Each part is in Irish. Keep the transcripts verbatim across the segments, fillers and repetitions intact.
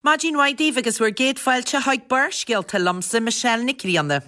Maidin mhaith daoibh agus bhur gcéad fáilte chuig Barrscéalta liomsa Michelle Nic Grianna.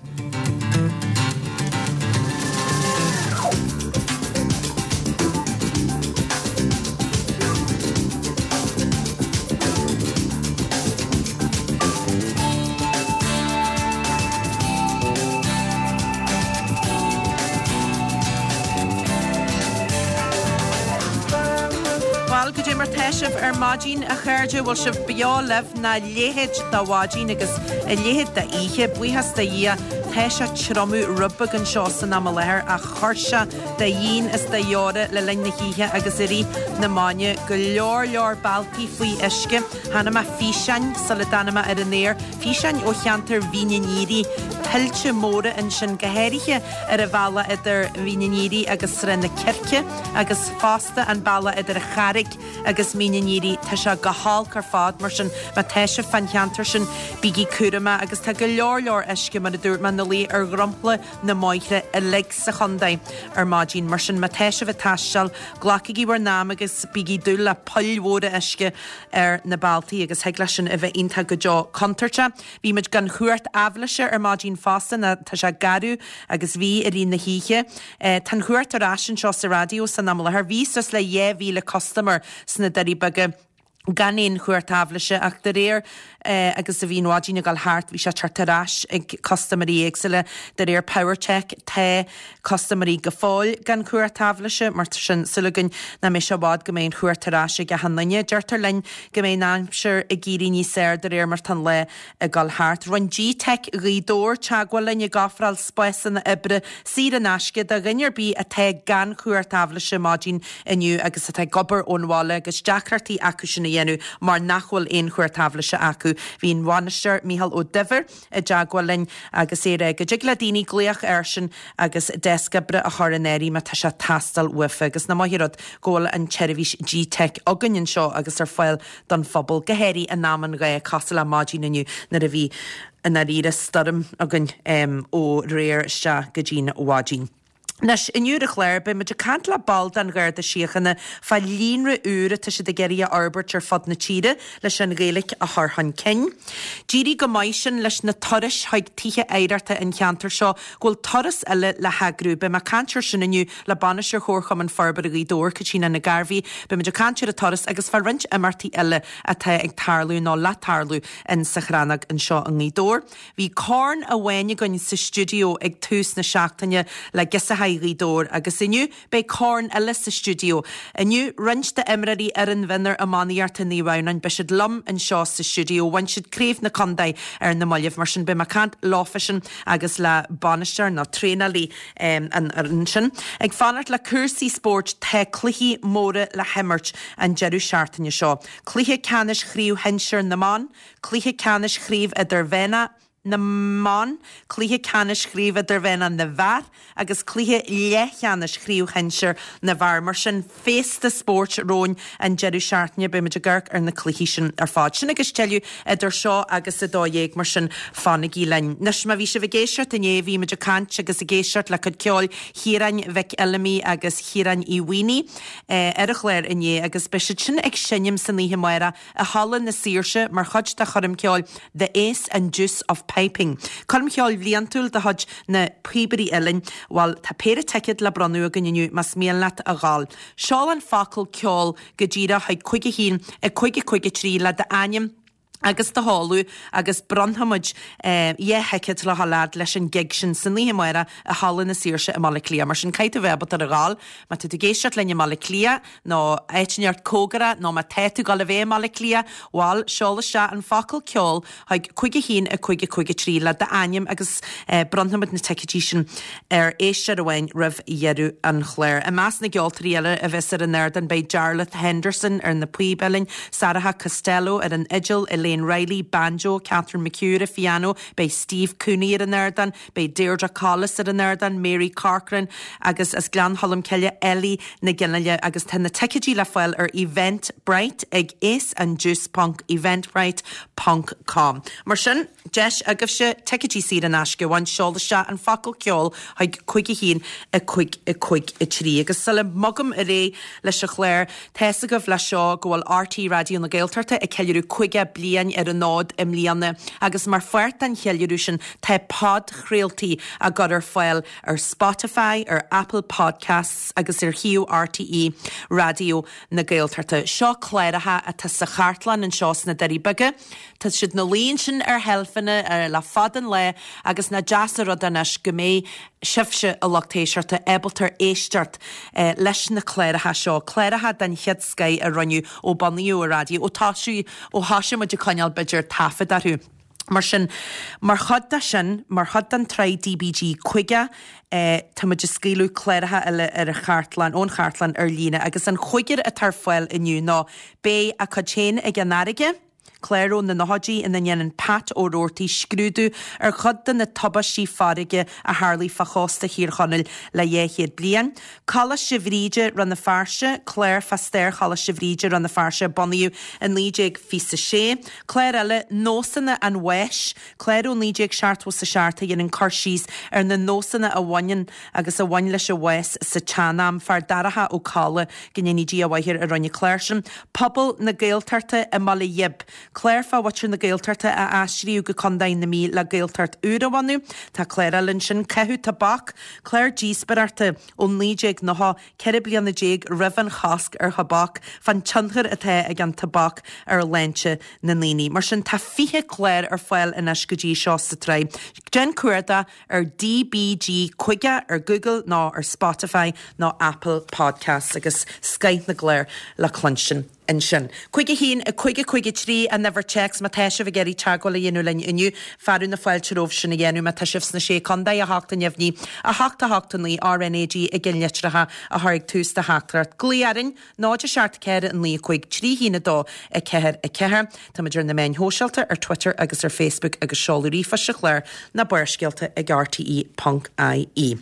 Bhuel, goidé mar tá sibh ar maidin a chairde bhfuil sibh beo libh ná a leithéid de mhaidin agus a leithéid d'oíche, buíochas do Dhia, tá sé triomú rud beag anseo san am i láthair ach chuir sé de dhíon is de dheora le linn na hoíche agus i rith na maidine go leor leor bealtaí faoi uisce. Chonaic mé físeáin sula dtáinig mé ar an aer, físeáin ó cheantar Mhín an Aoire, tuilte móra ansin go háirithe ar an bhealach idir Mín an Aoire agus Srath na Circe agus fosta an bealach idir an Charraig agus Mín an Aoire. Tá sé go holc ar fad mar sin má tá sibh fán cheantar sin bígí cúramach agus tá go leor leor uisce mar a dúirt mé ina luí ar dhromchla na mbóithre uilig sa chontae ar maidin. Mar sin má tá sibh ag taisteal, glacaigí bhur n-am agus bígí dúil le poill mhóra uisce ar na bealtaí agus thig leis sin a bheith iontach go deo contúirteach. Bhí muid gan chumhacht aibhléise ar maidin fosta ná tá sé garbh agus bhí i rith na hoíche. Tá an chumhacht ar ais anseo sa raidió san am i láthair. Bhí suas le dhá mhíle custaiméir sna Doirí Beaga gan aon chumhacht aibhléise ach de réir agus a bhí an mhaidin ag dul thart bhí sé teacht ar ais ag custaiméirí éagsúla de réir Powertech tá custaiméirí go fóill gan chumhacht aibhléise mar sin súil againn nach mbeidh sé i bhfad go mbeidh an chumhacht ar ais ag achan duine. Deirtear linn go mbeidh an aimsir ag éirí níos fearr de réir mar tá an lá ag dul thart. Rinne G-Tech Ghaoth Dobhair teagmháil linn ag ofráil spásanna oibre saor in aisce do dhuine ar bith atá gan chumhacht aibhléise maidin inniu agus atá ag obair ón bhaile agus deacrachtaí acu sin a dhéanamh mar nach bhfuil aon chumhacht aibhléise acu. Bhí an bainisteoir Micheál Ó Duibhir i dteagmháil linn agus é ag rá go dtig le daoine glaoch airsean agus deasc oibre a chur in áirithe má tá sé ag teastáil uafa agus nach maith an rud go bhfuil an tseirbhís G-Tech againn anseo agus ar fáil don phobal, go háirithe in am an ghá cosúil le maidin inniu nuair a bhí i ndáiríre stoirm againn ó aréir isteach go dtí'n mhaidin. Anois, inniu ar an chlár, beidh muid ag caint le ball den Gharda Síochána fá líonra úr atá siad ag iarraidh a fhorbairt ar fud na tíre leis an Ghaeilge a chur chun cinn. D'éirigh go maith sin leis na turais chuig tithe oidhreachta an cheantair seo go bhfuil turas eile le heagrú. Beidh mé ag caint air sin inniu le Bainisteoir Chomharchumann Forbartha Ghaoth Dobhair, Caitríona Nic Gairbhí. Beidh muid ag caint ar an turas agus fá roinnt imeachtaí eile atá ag tarlú nó le tarlú in sa Chrannóg anseo i nGaoth Dobhair. Bhí corn amháin againn sa stiúideo ag tús na seachtaine le Girseachaí Ghaoth Dobhair agus inniu beidh corn eile sa stiúideo. Inniu roinnt d'imreoirí fhoireann mhionúir iománaíochta Naomh Adhamhnáin beidh siad liom anseo sa stiúideo. Bhain siad craobh na contae ar na mallaibh mar sin beidh mé ag caint leofasan agus le bainisteoir nó traenálaí an fhoireann sin. Ag fanacht le cúrsaí spóirt tá cluichí móra le himirt an deireadh seachtaine seo. Cluiche ceannais chraobh shinsir na mban, cluiche ceannais chraobh idirmheánach na mban, cluiche ceannais chraobh idirmheánach na bhfear agus cluiche leathcheannais chraobh shinsir na bhfear. Mar sin féasta spóirt romhainn an deireadh seachtaine, beidh muid ag amharc ar na cluichí sin ar fad. Sin agus tuilleadh idir seo agus a dó dhéag, mar sin fanaigí linn. Anois má bhí sibh ag éisteacht inné, bhí muid ag caint agus ag éisteacht le cuid ceoil Chiaráin Mhic Fheilimí agus Chiaráin Uí Mhaonaigh ar an chlár inné agus beidh siad sin ag seinm san oíche amárach i Halla na Saoirse mar chuid de choirm cheoil The Ace and Deuce of Piping. Coirm cheoil bhliantúil de chuid na Píobairí Uilleann, bhuel tá péire ticéad le bronnadh againn inniu más mian leat a ghabháil. Seol an focal ceol go díreach chuig cúig a haon a cúig a cúig a trí le d'ainm agus do sheoladh agus bronnfaimid dhá thicéad le dhul fhad leis an gig sin san oíche amárach i Halla na Saoirse i mBaile Átha Cliath. Mar sin caithfidh tú bheith ábalta ar a ghabháil má tá tú ag éisteacht linn i mBaile Átha Cliath nó áit inteacht cóngarach nó má tá tú ag gabháil a bheith i mBaile Átha Cliath, bhuel, seol isteach an focal ceol chuig cúig a haon a cúig a cúig a trí le d'ainm agus bronnfaimid na ticéidí sin ar éisteoir amháin roimh dheireadh an chláir. I measc na gceoltóirí eile a bheas ar an ardán beidh Jarlath Henderson ar na píob uilleann, Sarah Costello ar an fhidil, Elaine Reilly, banjo, Catherine McHugh ar an phianó, beidh Steve Cooney ar an ardán, beidh Deirdre Collis ar an ardán, Mary Corcoran agus as Gleann Cholm Cille, Ellie Nic Fhionnghaile agus tá na ticéidí le fáil ar Eventbrite ag aceandjuice ponc eventbrite ponc com. Mar sin, deis agaibhse ticéidí saor in aisce a bhaint, seol isteach an focal ceol chuig cúig a haon a cúig a cúig a trí. Agus sula mbogaim ar aghaidh leis an chlár, tá's agaibh leis seo go bhfuil RTÉ Raidió na Gaeltachta ag ceiliúradh caoga bliain bliain ar an fhód i mbliana agus mar pháirt den cheiliúradh sin tá podchraoltaí á gcur ar fáil ar Spotify, ar Apple Podcasts agus ar shuíomh R T E Raidió na Gaeltachta. Seo cláracha atá sa chartlann anseo sna Doirí Beaga. Tá siad ina luí ansin ar sheilfeanna le fada an lá agus nach deas an rud anois go mbeidh sibhse, a lucht éisteachta, ábalta éisteacht eh, leis na cláracha seo, cláracha den chéad scoth a rinneadh ó bunaíodh an raidió, ó tá ó thosaigh muid ag coinneáil b'fhéidir taifead orthu. Mar sin, mar chuid de sin, mar chuid den tsraith D B G caoga, eh, tá muid ag scaoileadh cláracha eile ar an chartlann, ón chartlann ar líne, agus an chúigear atá ar fáil inniu ná beidh a cuid féin ag an fharraige, clár ó na nóchaidí ina ndéanann Pat Ó Roarty scrúdú ar chuid de na tubaistí farraige a tharlaigh fá chósta Thír Chonaill le dhá chéad bliain. Coláiste Bhríde Rann na Feirste, clár fá stair Choláiste Bhríde Rann na Feirste bunaíodh in naoi déag fiche sé. Clár eile, Nósanna an Bháis, clár ó naoi déag seachtó a seacht a dhéanann cur síos ar na nósanna a bhaineann agus a bhain leis an bhás sa tsean-am, Feardorcha Ó Colla, go ndéana Dia a mhaith air, a rinne an clár sin. Pobal na Gaeltachta i mBaile Ghib. Clár fá mhuintir na Gaeltachta a aistríodh go Contae na Mí le Gaeltacht úr a bhunú. Tá clár eile ansin, Caitheamh Tobac, clár díospóireachta ó naoi déag nócha, ceithre bliana déag roimh an chosc ar thobac, fán tionchar atá ag an tobac ar shláinte na ndaoine. Mar sin tá fiche clár ar fáil anois go dtí seo sa tsraith. Déan cuardach ar D B G caoga ar Google nó ar Spotify nó Apple Podcasts agus scoth na gclár le cluinstin ansin. Cúig a haon, a cúig a cúig a trí an uimhir téacs má tá sibh ag iarraidh teagmháil a dhéanamh linn inniu, fearadh na fáilte romhaibh sin a dhéanamh má tá sibh sna sé contae, a hocht a neamhní, a hocht a hocht a naoi R N A G i gceannlitreacha a chur ag tús do theachtaireacht. Glaoigh orainn, náid a seacht ceithre naoi cúig trí haon a dó a ceathair a ceathair. Táimid ar na meáin shóisialta ar Twitter agus ar Facebook agus seoladh ríomhphoist an chláir ná Barrscéalta ag R T E ponc I E.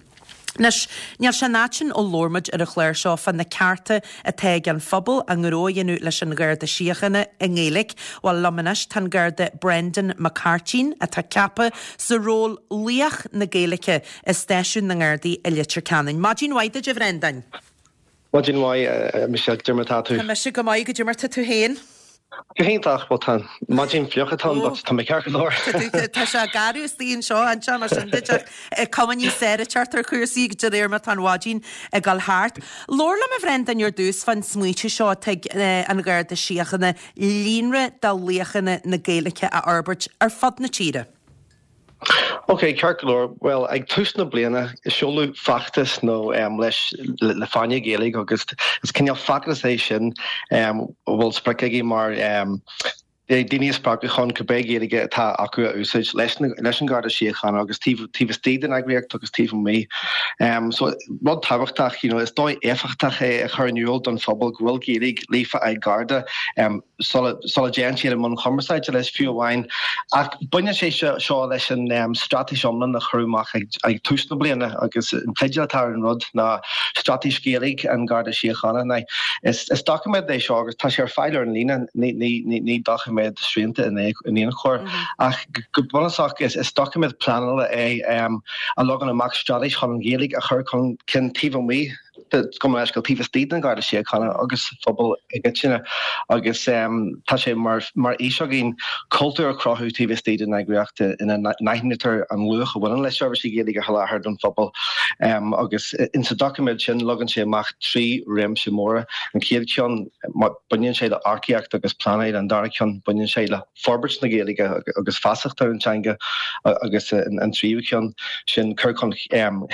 Anois, níl sé an fhad sin ó labhair muid ar an chlár seo fá na cearta atá ag an phobal a ngnó a dhéanamh leis an Gharda Síochána i nGaeilge. Bhuel, liom anois tá an Garda Brendan Mac Cairtín atá ceaptha sa ról Laoch na Gaeilge i stáisiún na nGardaí i Leitir Ceanainn. Maidin mhaith duit, a Bhrendan. Maidin mhaith, Michelle, cad é mar atá tú. Tá mise go maith, cad é mar atá tú féin. Go hiontach, bhuel, tá maidin fliuch atá, tá mé ceart go leor. Tá sé garbh istigh anseo anseo mar sin de cuma níos fearr teacht ar chúrsaí de réir mar atá an mhaidin ag dul thart. Labhair liom, a Bhrendan, ar dtús fán smaointe seo atá ag an Gharda Síochána líonra de laochanna na Gaeilge a fhorbairt ar fud na tíre. Ok, ceart go leor. Well, ag tús na bliana seoladh feachtas nó um, leis le, le Fáinne Gaeilge agus is cineál feachtas é sin um, bhfuil sprioc aige mar um, daoine a spreagadh chun cibé Gaeilge atá acu a úsáid leis leis an Garda Síochána agus taobh istigh den eagraíocht agus taobh amuigh. Um, so rud tábhachtach, you know, is dóigh éifeachtach é a chur in iúl don phobal go bhfuil Gaeilge líofa ag Garda um, sula dtéann siad i mbun cumarsáide leis fiú amháin. Ach baineann sé seo leis an um, straitéis iomlán a cuireadh amach ag, ag tús na bliana agus an teideal atá ar an rud ná Straitéis Gaeilge an Garda Síochána. Ná is, is doiciméad é seo agus tá sé ar fáil ar an líne, ní, ní, ní, ní doiciméad srianta in aon chor. Mm -hmm. Ach go bunúsach is, is doiciméad pleanála é um, a leagann amach straitéis chun an Ghaeilge a chur chun cinn taobh amuigh go leis go taobh istigh den Garda Síochána agus phobal i gcoitinne agus um, tá sé mar mar fhís againn cultúr a chruthú taobh istigh den eagraíocht ina n-aithnítear an luach a bhaineann le seirbhísí Gaeilge a sholáthar don phobal um, agus in sa doiciméad sin leagann sé amach trí réimse móra. An chéad cheann, baineann sé le earcaíocht agus pleanáil, an dara ceann, baineann sé le forbairt na Gaeilge agus feasacht ar an teanga, agus an tríú ceann sin cur chun um,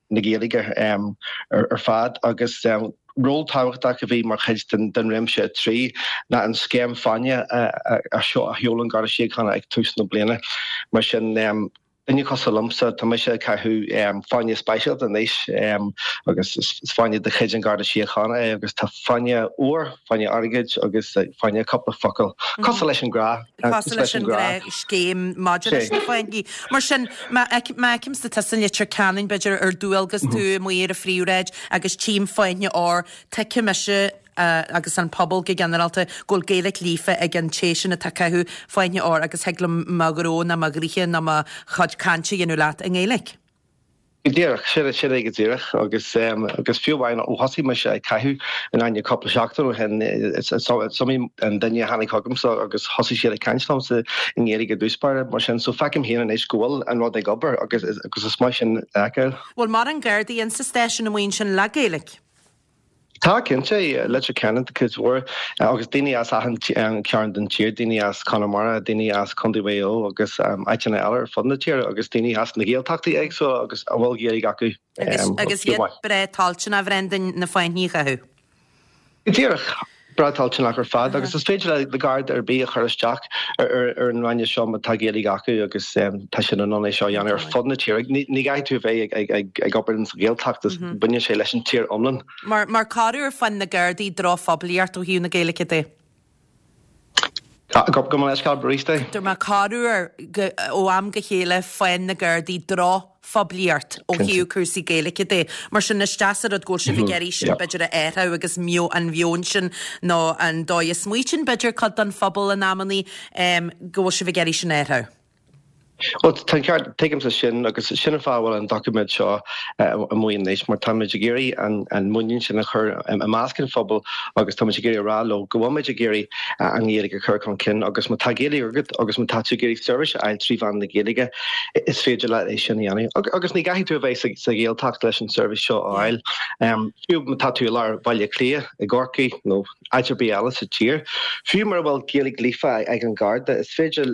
na Gaeilge um, ar, ar fad agus um, ról tábhachtach a bhí mar chuid den, den réimse trí ná an scéim Fáinne a, a seo a sheol an Garda Síochána ag tús na bliana. Mar sin um, duine cosúil liomsa, tá mise ag caitheamh um, fáinne speisialta anois um, agus is fáinne de chuid an Garda Síochána é agus tá fáinne óir, fáinne airgid agus fáinne cúpla focal. Mm -hmm. Cosúil leis an grá. Cosúil leis an grá, scéim maidir leis na fáinní. Mar sin, má fheicimse tusa i Leitir Ceanainn, b'fhéidir ar dualgas tú mhm. amuigh ar an phríomhshráid agus tchím fáinne óir, tuigfidh mise uh, agus an pobal go ginearálta go bhfuil Gaeilge líofa ag an té sin atá ag caitheamh fáinne óir agus thig liom mo ghnó ná mo ghnoithe ná mo chuid cainte a dhéanamh leat i nGaeilge. Go díreach, sin sin é go díreach agus agus fiú amháin ó thosaigh mise ag caitheamh an fháinne cúpla seachtain ó shin is iomaí an duine a tháinig chugamsa agus thosaigh siad ag caint liomsa i nGaeilge i dtús báire mar sin so feicim féin anois go bhfuil an rud ag obair agus agus is maith sin a fheiceáil. Bhfuil mórán Gardaí in sa stáisiún amuigh ansin le Gaeilge? Tá cinnte, Leitir Ceanainn cuid mhór agus daoine as achan cearn den tír, daoine as Conamara, daoine as Contae Mhaigh Eo agus áiteanna eile ar fud na tíre agus daoine as na Gaeltachtaí éagsúla agus a bhfuil Gaeilge acu. Agus iad breá toilteanach, a Bhrendan, na fáinní a chaitheamh. Go díreach. Breá toilteanach ar fad agus is féidir le Garda ar bith a chur isteach ar an fháinne seo má tá Gaeilge acu agus tá siad in ann é seo a dhéanamh ar fud na tíre. Ní gcaithfidh tú a bheith ag obair sa Ghaeltacht, baineann sé leis an tír iomlán. Mar mar corruair faigheann na Gardaí drochphoiblíocht ó thaobh na Gaeilge de. Gabh mo leithscéal arís é. Dúirt mé corruair ó am go chéile faigheann na Gardaí drochphoiblíocht ó thaobh cúrsaí Gaeilge de. Mar sin is deas an rud go bhfuil sibh ag iarraidh sin b'fhéidir a athrú agus an meon sin nó an dóigh a smaoitíonn b'fhéidir cuid den phobal in amannaí go bhfuil sibh ag iarraidh sin a athrú. Bhuel, tá an ceart, tuigimse sin agus sin an fáth a bhfuil an doiciméad seo amuigh anois mar táimid ag iarraidh an muinín sin a chur i measc an phobail agus táimid ag iarraidh a rá leo go bhfuilmid ag iarraidh an Ghaeilge a chur chun cinn agus má tá Gaeilge agat agus má tá tú ag iarraidh seirbhís a fháil trí mheán na Gaeilge is féidir leat é sin a dhéanamh. Agus ní gcaithfidh tú a bheith sa Ghaeltacht leis an seirbhís seo a fháil. Fiú má tá tú i lár Bhaile Átha Cliath, i gCorcaigh nó áit ar bith eile sa tír, fiú mura bhfuil Gaeilge líofa ag an Gharda, is féidir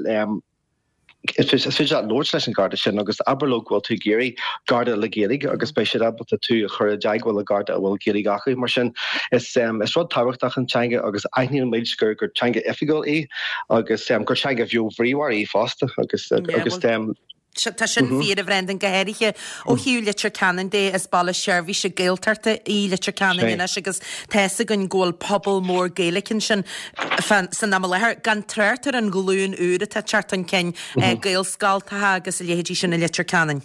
Is féidir leat labhairt leis an Gharda sin agus abair leo go bhfuil tú ag iarraidh Garda le Gaeilge agus beidh siad ábalta tú a chur i dteagmháil le Garda a bhfuil Gaeilge acu. Mar sin, is is rud tábhachtach an teanga agus aithníonn muid gur gur teanga oifigiúil í agus gur teanga bheo bhríomhar í fosta agus agus Tá sin fíor, a Bhrendan, go háirithe ó thaobh Leitir Ceanainn de, is baile seirbhíse Gaeltachta í Leitir Ceanainn anois agus tá fhios againn go bhfuil pobal mór Gaeilge ansin san am i láthair, gan trácht ar an ghlúin úr atá ag teacht chun cinn, Gaelscoltacha agus a leithéidí sin i Leitir Ceanainn.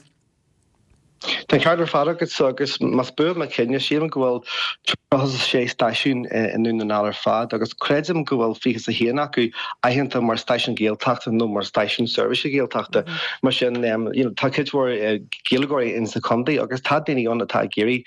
Tá an ceart ar fad agat agus más buan mo chuimhne, sílim go bhfuil tríocha a sé stáisiún i nDún na nGall ar fad agus creidim go bhfuil fiche is a haon acu aitheanta mar stáisiún Gaeltachta nó mar stáisiún seirbhíse Gaeltachta. Mar sin, you know, tá cuid mhór Gaeilgeoirí in sa chontae agus tá daoine ann atá ag iarraidh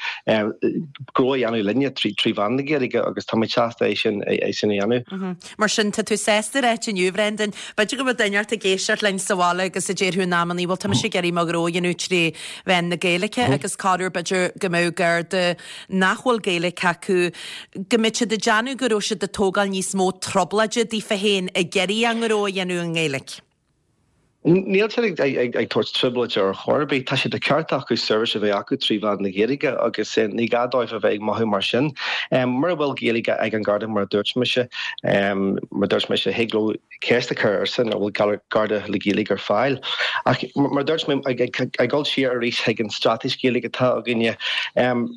gnó a dhéanamh linne trí trí mheán na Gaeilge agus tá muid sásta é sin é sin a dhéanamh. Mar sin, tá tú sásta a ráit inniu, Bhrendan, b'fhéidir go bhfuil duine ort ag éisteacht linn sa bhaile agus a déarfadh in amannaí, bhuel tá mise ag iarraidh mo ghnó a dhéanamh trí mheán na Gaeilge agus corruair b'fhéidir go mbeadh Garda nach bhfuil Gaeilge acu, go mbeadh siad ag déanamh go raibh siad ag tógáil níos mó trioblóide daofa féin ag iarraidh a ngnó a dhéanamh i nGaeilge. Níl siad ag tabhairt trioblóide ar chor ar bith. Tá sé de cheart acu seirbhís a bheith acu trí mheán na Gaeilge agus ní gá dóibh a bheith ag mothú mar sin. Mura bhfuil Gaeilge ag an Garda, mar a dúirt mise, mar a dúirt mise, thig leo ceist a chur airsean an bhfuil Garda le Gaeilge ar fáil. Ach mar a dúirt mé, ag dul siar arís chuig an straitéis Ghaeilge atá againne,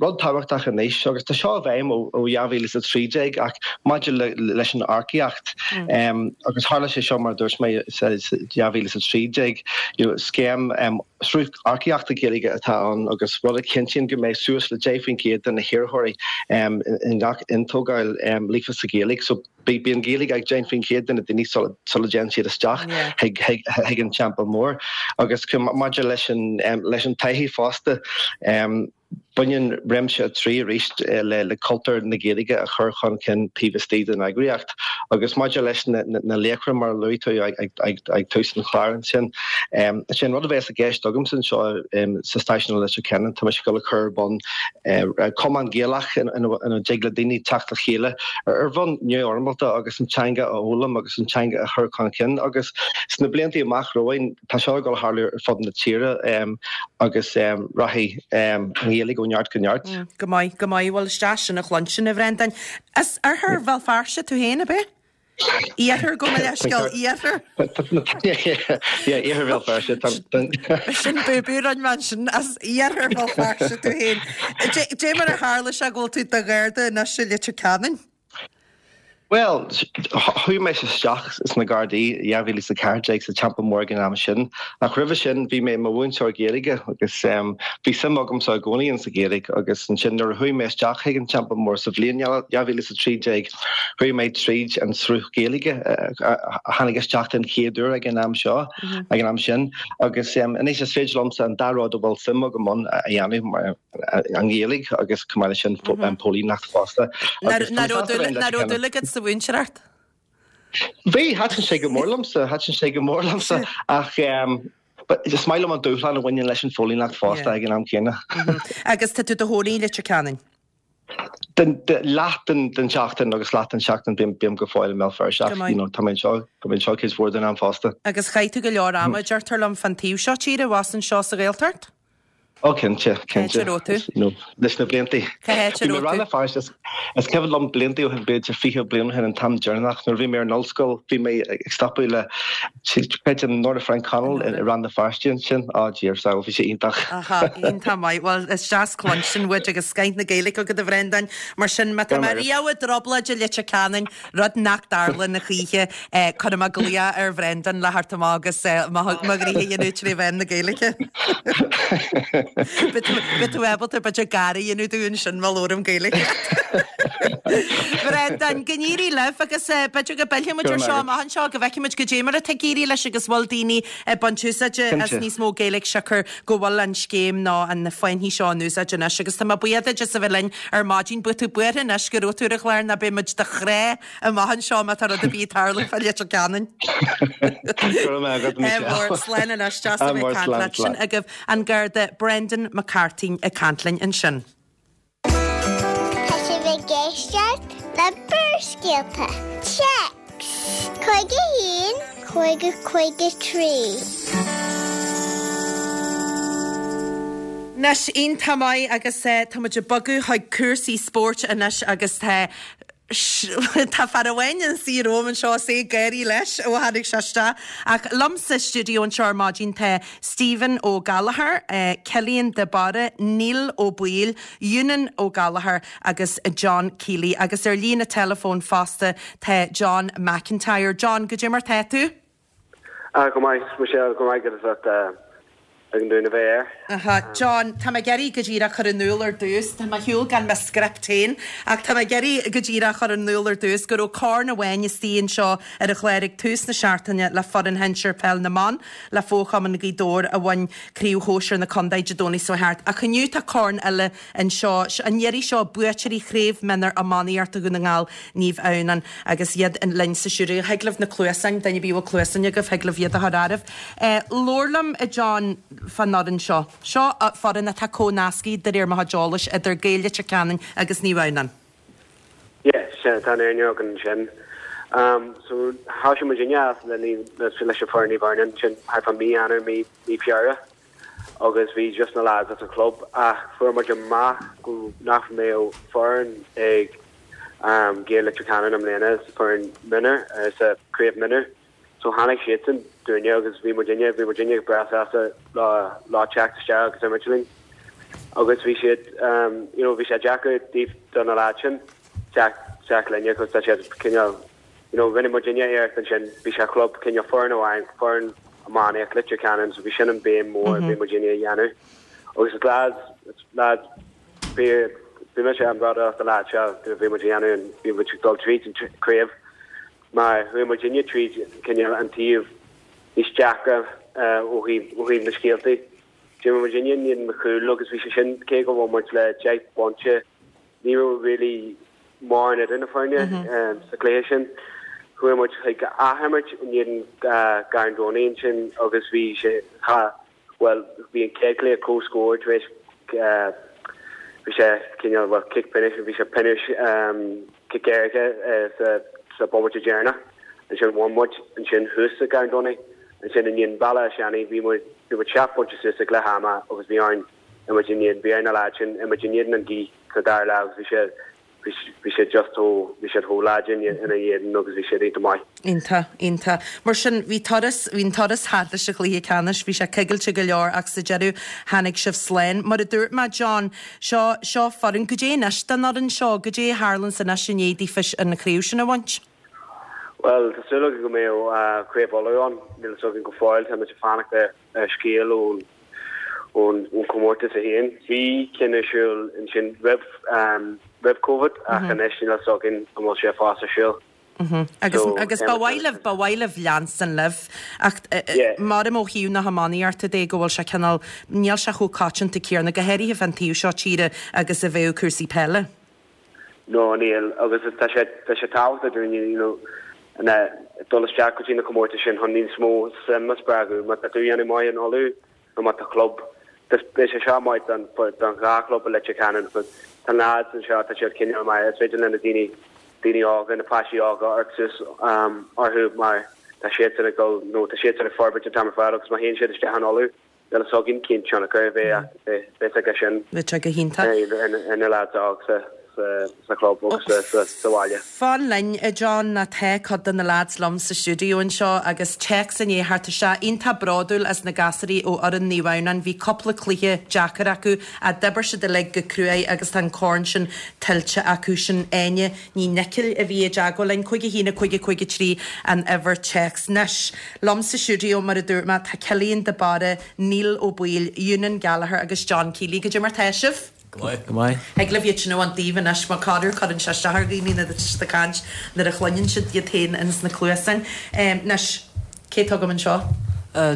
rud tábhachtach anois, agus tá seo i bhfeidhm ó dhá mhíle is a trí déag, ach maidir leis an earcaíocht, agus tharla sé seo, mar a dúirt mé, sa dhá mhíle is a trí déag, you know, scéim sruth earcaíochta Gaeilge atá ann agus rud a chinntíonn go mbeidh suas le deich faoin gcéad de na hiarrthóirí i ngach iontógáil líofa sa Ghaeilge. So bíonn Gaeilge ag deich faoin gcéad de na daoine sula dtéann siad isteach chuig an Teampall Mór. Agus maidir leis an leis an taithí fosta, Baineann réimse a trí arís le cultúr na Gaeilge a chur chun cinn taobh istigh den eagraíocht. Agus maidir leis na laochra, mar a luaigh tú ag tús an chláir ansin, is é an rud a bheas i gceist agamsa anseo sa stáisiún i Leitir Ceanainn, tá mise ag dul a chur ar bun cumann Gaelach ina dtig le daoine teacht le chéile ar bhonn neamhfhoirmeálta agus an teanga a fhoghlaim agus an teanga a chur chun cinn. Agus sna blianta amach romhainn, tá seo ag dul a tharlú ar fud na tíre agus rachaidh an Ghaeilge ó neart go neart. Go maith, go maith. Bhuel, is deas sin a chluinstin, a Bhrendáin. As oirthear Bhéal Feirste tú féin, ab ea? Iarthar, gabh mo leithscéal, iarthar. Yeah, iarthar Bhéal Feirste. Sin búbú a rinne mé ansin, as iarthar Bhéal Feirste tú féin. Dé mar a tharla sé go bhfuil tú i do Gharda anois i Leitir Ceanainn? Well, chuaigh mé isteach sna Gardaí dhá mhíle is a ceathair déag sa Teampall Mór ag an am sin, ach roimhe sin bhí mé i mo mhúinteoir Gaeilge agus um, bhí suim agamsa i gcónaí in sa Ghaeilge agus ansin nuair a chuaigh mé isteach chuig an Teampall Mór sa bhliain dhá mhíle is a trí déag chuaigh mé tríd an sruth Gaeilge a tháinig isteach den chéad uair ag an am seo mhm. ag an am sin agus um, anois is féidir liomsa an dá rud a bhfuil suim agam ann a dhéanamh mar an Ghaeilge agus chomh maith leis sin mhm. an póilíneacht fosta. An raibh dúil agat sa mhúinteoireacht? Bhí thaitin sé go mór liomsa, thaitin sé go mór liomsa ach um, is maith liom an dúshlán a bhaineann leis an phóilíneacht fosta ag an am céanna. Mhm. Agus tá tú i do chónaí i Leitir Ceanainn? Leath den den seachtain agus leath den seachtain bím bím go fóill i mBéal Feirste you know, tá mé seo tá mé seo cuid mhór den am fosta. Agus chaith tú go leor ama deirtear liom fan taobh seo tíre was anseo sa Ghaeltacht? Ó cinnte cinnte leis na blianta. Rann Feirste is cuimhin liom blianta ó shin b'fhéidir fiche bliain ó shin an t-am deireanach nuair bhí mé ar an ollscoil bhí mé ag stopadh le creidim Nora Frank Connell i Rann na Feirste ansin á Dia sa bhí sé iontach. Iontach maith well is deas cluinstin uait agus scoth na Gaeilge agat a Bhrendan mar sin má tá mé riamh i dtrioblóid i Leitir Ceanainn rud nach dtarlaíonn a choíche cuirfidh mé glaoch ar Bhrendan le theacht amach agus mo ghnoithe a dhéanamh trí mheán na Gaeilge. Beidh tú ábalta b'fhéidir gáire a dhéanamh dúinn sin má labhraím Gaeilge. Brendan, go n-éirí libh agus b'fhéidir go bpillfidh muid ar seo amach anseo go bhfeicfidh muid goidé mar atá ag éirí leis agus bhfuil daoine ag baint úsáide as níos mó Gaeilge siocair go bhfuil an scéim nó an fáinní seo in úsáid anois agus tá mé buíoch duit as a bheith linn ar maidin bíodh tú buartha anois go raibh tú ar an chlár ná beidh muid do chrá amach anseo má tá rud ar bith ag tarlú fá Leitir Ceanainn. Mór slán anois deas a bheith ag caint leat sin agaibh an Garda Brendan McCarthy ag caint linn ansin. Tá sibh ag éisteacht le Barrscéalta. Téacs cúig a haon cúig a cúig a trí. Anois iontach maith agus tá muid ag bogadh chuig cúrsaí spóirt anois agus tá Tá fear amháin ina suí romham anseo is é ag gáirí leis ó tháinig sé isteach. Ach liom sa stiúideo anseo ar maidin tá Stephen Ó Gallchóir, Cillian de Barra, Neil Ó Baoill, Eunan Ó Gallchóir agus John Kiely. Agus ar líne teileafóin fosta tá John McIntyre. John, goidé mar tá tú? Ah, go maith, Michelle, go maith agus at ag an dúin a bheith air. Aha, John, tá mé ag iarraidh go díreach cur in iúl ar dtús, tá mé ar shiúl gan mo script féin, ach tá mé ag iarraidh go díreach cur in iúl ar dtús go raibh corn amháin istigh anseo ar an chlár ag tús na seachtaine le foireann shinsir peil na mban le Fo-Chumann Ghaoth Dobhair a bhain Craobh Shóisir na Contae Dé Domhnaigh seo thart. Ach inniu tá corn eile anseo, an iarraidh seo buaiteoirí Chraobh Mionúr Iománaíochta Dhún na nGall, Naomh Adhamhnáin, agus iad linn sa stiúideo. Thig libh na cluasáin, duine ar bith a bhfuil cluasáin agaibh, thig libh iad a chur oraibh. Labhair liom, a John, fán fhoireann seo. Seo foireann atá comhnasctha, de réir mo chuid eolais, idir Gaeil Leitir Ceanainn agus Naomh Adhamhnáin. Yeah, sea, tá an fhírinne agat ansin. So, thosaigh muidinne le leis an foireann Naomh Adhamhnáin ansin thart fá mí Eanáir, mí mí Feabhra agus bhí just na lads as an chlub ach fuair muid amach go nach mbeadh foireann ag Gaeil Leitir Ceanainn i mbliana sa foireann mionúr, sa craobh mionúr. So tháinig siadsan dúinne agus bhí muidinne, bhí muidinne breá sásta leo teacht isteach agus imirt linn. Agus bhí siad, you know, bhí sé deacair díobh do na lads sin teacht isteach linne cos tá siad cineál, you know, rinne muidinne iarracht ansin, bhí sé chlub cineál foireann amháin, foireann iománaíocht Leitir Ceanainn, so bhí sin an béim mór a bhí muidinne a dhéanamh. Agus is lads, lads, bhí, bhí mise an-bhródúil as na lads seo, bhí muid a dhéanamh, bhí muid ag dul tríd an craobh. Mar chuaigh muidinne tríd cineál an taobh níos deacra ó thaobh ó thaobh na scéaltaí. D'imir muidinne in éadan Maigh Cumhaill agus bhí sé sin, cé go bhfuair muid le deich bpointe, ní raibh really mórán idir na foirne sa chluiche sin. Chuaigh muid chuig athimirt in éadan Garn Domhnaigh ansin agus bhí sé, cha, Bhuel, bhí an chéad chluiche comhscór tar éis, bhí sé cineál, bhuel, cic pionóis, bhí sé pionóis, cic éirice sa sa bomaite deireanach. Ansin bhain muid ansin thuas sa Garn Domhnaigh. Ansin in éadan Bhaile Átha Seanaidh bhí muid, bhí muid seacht bpointe suas ag leath ama agus bhí orainn imirt in éadan, bhí ar na lads sin imirt in éadan an ghaoth sa dara leath agus bhí sé, bhí siad just chomh bhí siad chomh láidir ina éadan agus bhí siad iontach maith. Iontach, iontach. Mar sin, bhí turas, bhí an turas thart leis an chluiche ceannais, bhí sé coigilte go leor ach sa deireadh tháinig sibh slán. Mar a dúirt mé, John, seo, seo foireann, goidé anois don fhoireann seo, goidé a tharlaíonns anois i ndiaidh daofa an chraobh sin a bhaint? Bhuel, tá súil againn go mbeidh Craobh Uladh ann, níl a fhios againn go fóill, táimid ag fanacht ar scéal ón ón comórtas é féin. Bhí ceann ar siúl ansin roimh roimh Covid ach anois níl a fhios againn an bhfuil sé fós ar siúl. Agus agus ba mhaith libh ba mhaith libh leanstan libh ach maram ó thaobh na hiománaíochta de go bhfuil sé cineál níl sé chomh coitianta céanna go háirithe fan taobh seo tíre agus a bheadh cúrsaí peile. No níl agus tá sé tá sé tábhachtach dúinn you know na dul isteach go dtí na comórtais sin chun níos mó suim a spreagadh má tá tú ag déanamh maith in Uladh nó má tá club beidh sé seo maith don don dhá chlub i Leitir Ceanainn but tá na lads anseo tá siad cineál maith is féidir le na daoine daoine óga na páistí óga amharc suas um, orthu mar tá siad ag dul nó tá siad ag forbairt an t-am ar fad agus má théann siad isteach in Uladh níl a fhios againn cén tionchar a bheidh bheidh aige sin Bheadh sé go hiontach. ar na lads óg sa sa chlub agus sa sa bhaile. Fan linn a John ná tá cuid de na lads liom sa stiúideo anseo agus téacs i ndiaidh theacht isteach iontach bródúil as na gasúirí ó fhoireann Naomh Adhamhnáin bhí cúpla cluiche deacair acu a d'oibir siad uilig go cruaidh agus tá an corn sin tuillte acu sin Áine Ní Nicil a bhí i dteagmháil linn cúig a haon a cúig a cúig a trí an uimhir téacs anois. Liom sa stiúideo mar a dúirt mé tá Cillian de Barra, Neil Ó Baoill, Eunan Gallagher agus John Keeley goidé mar tá sibh. Go maith. Go maith. Thig libh iad sin a bhaint díobh anois mar corruair cuireann sé isteach ar dhaoine nuair atá siad ag caint nuair a chluineann siad iad féin ins na cluasáin. Anois, cé atá agam anseo?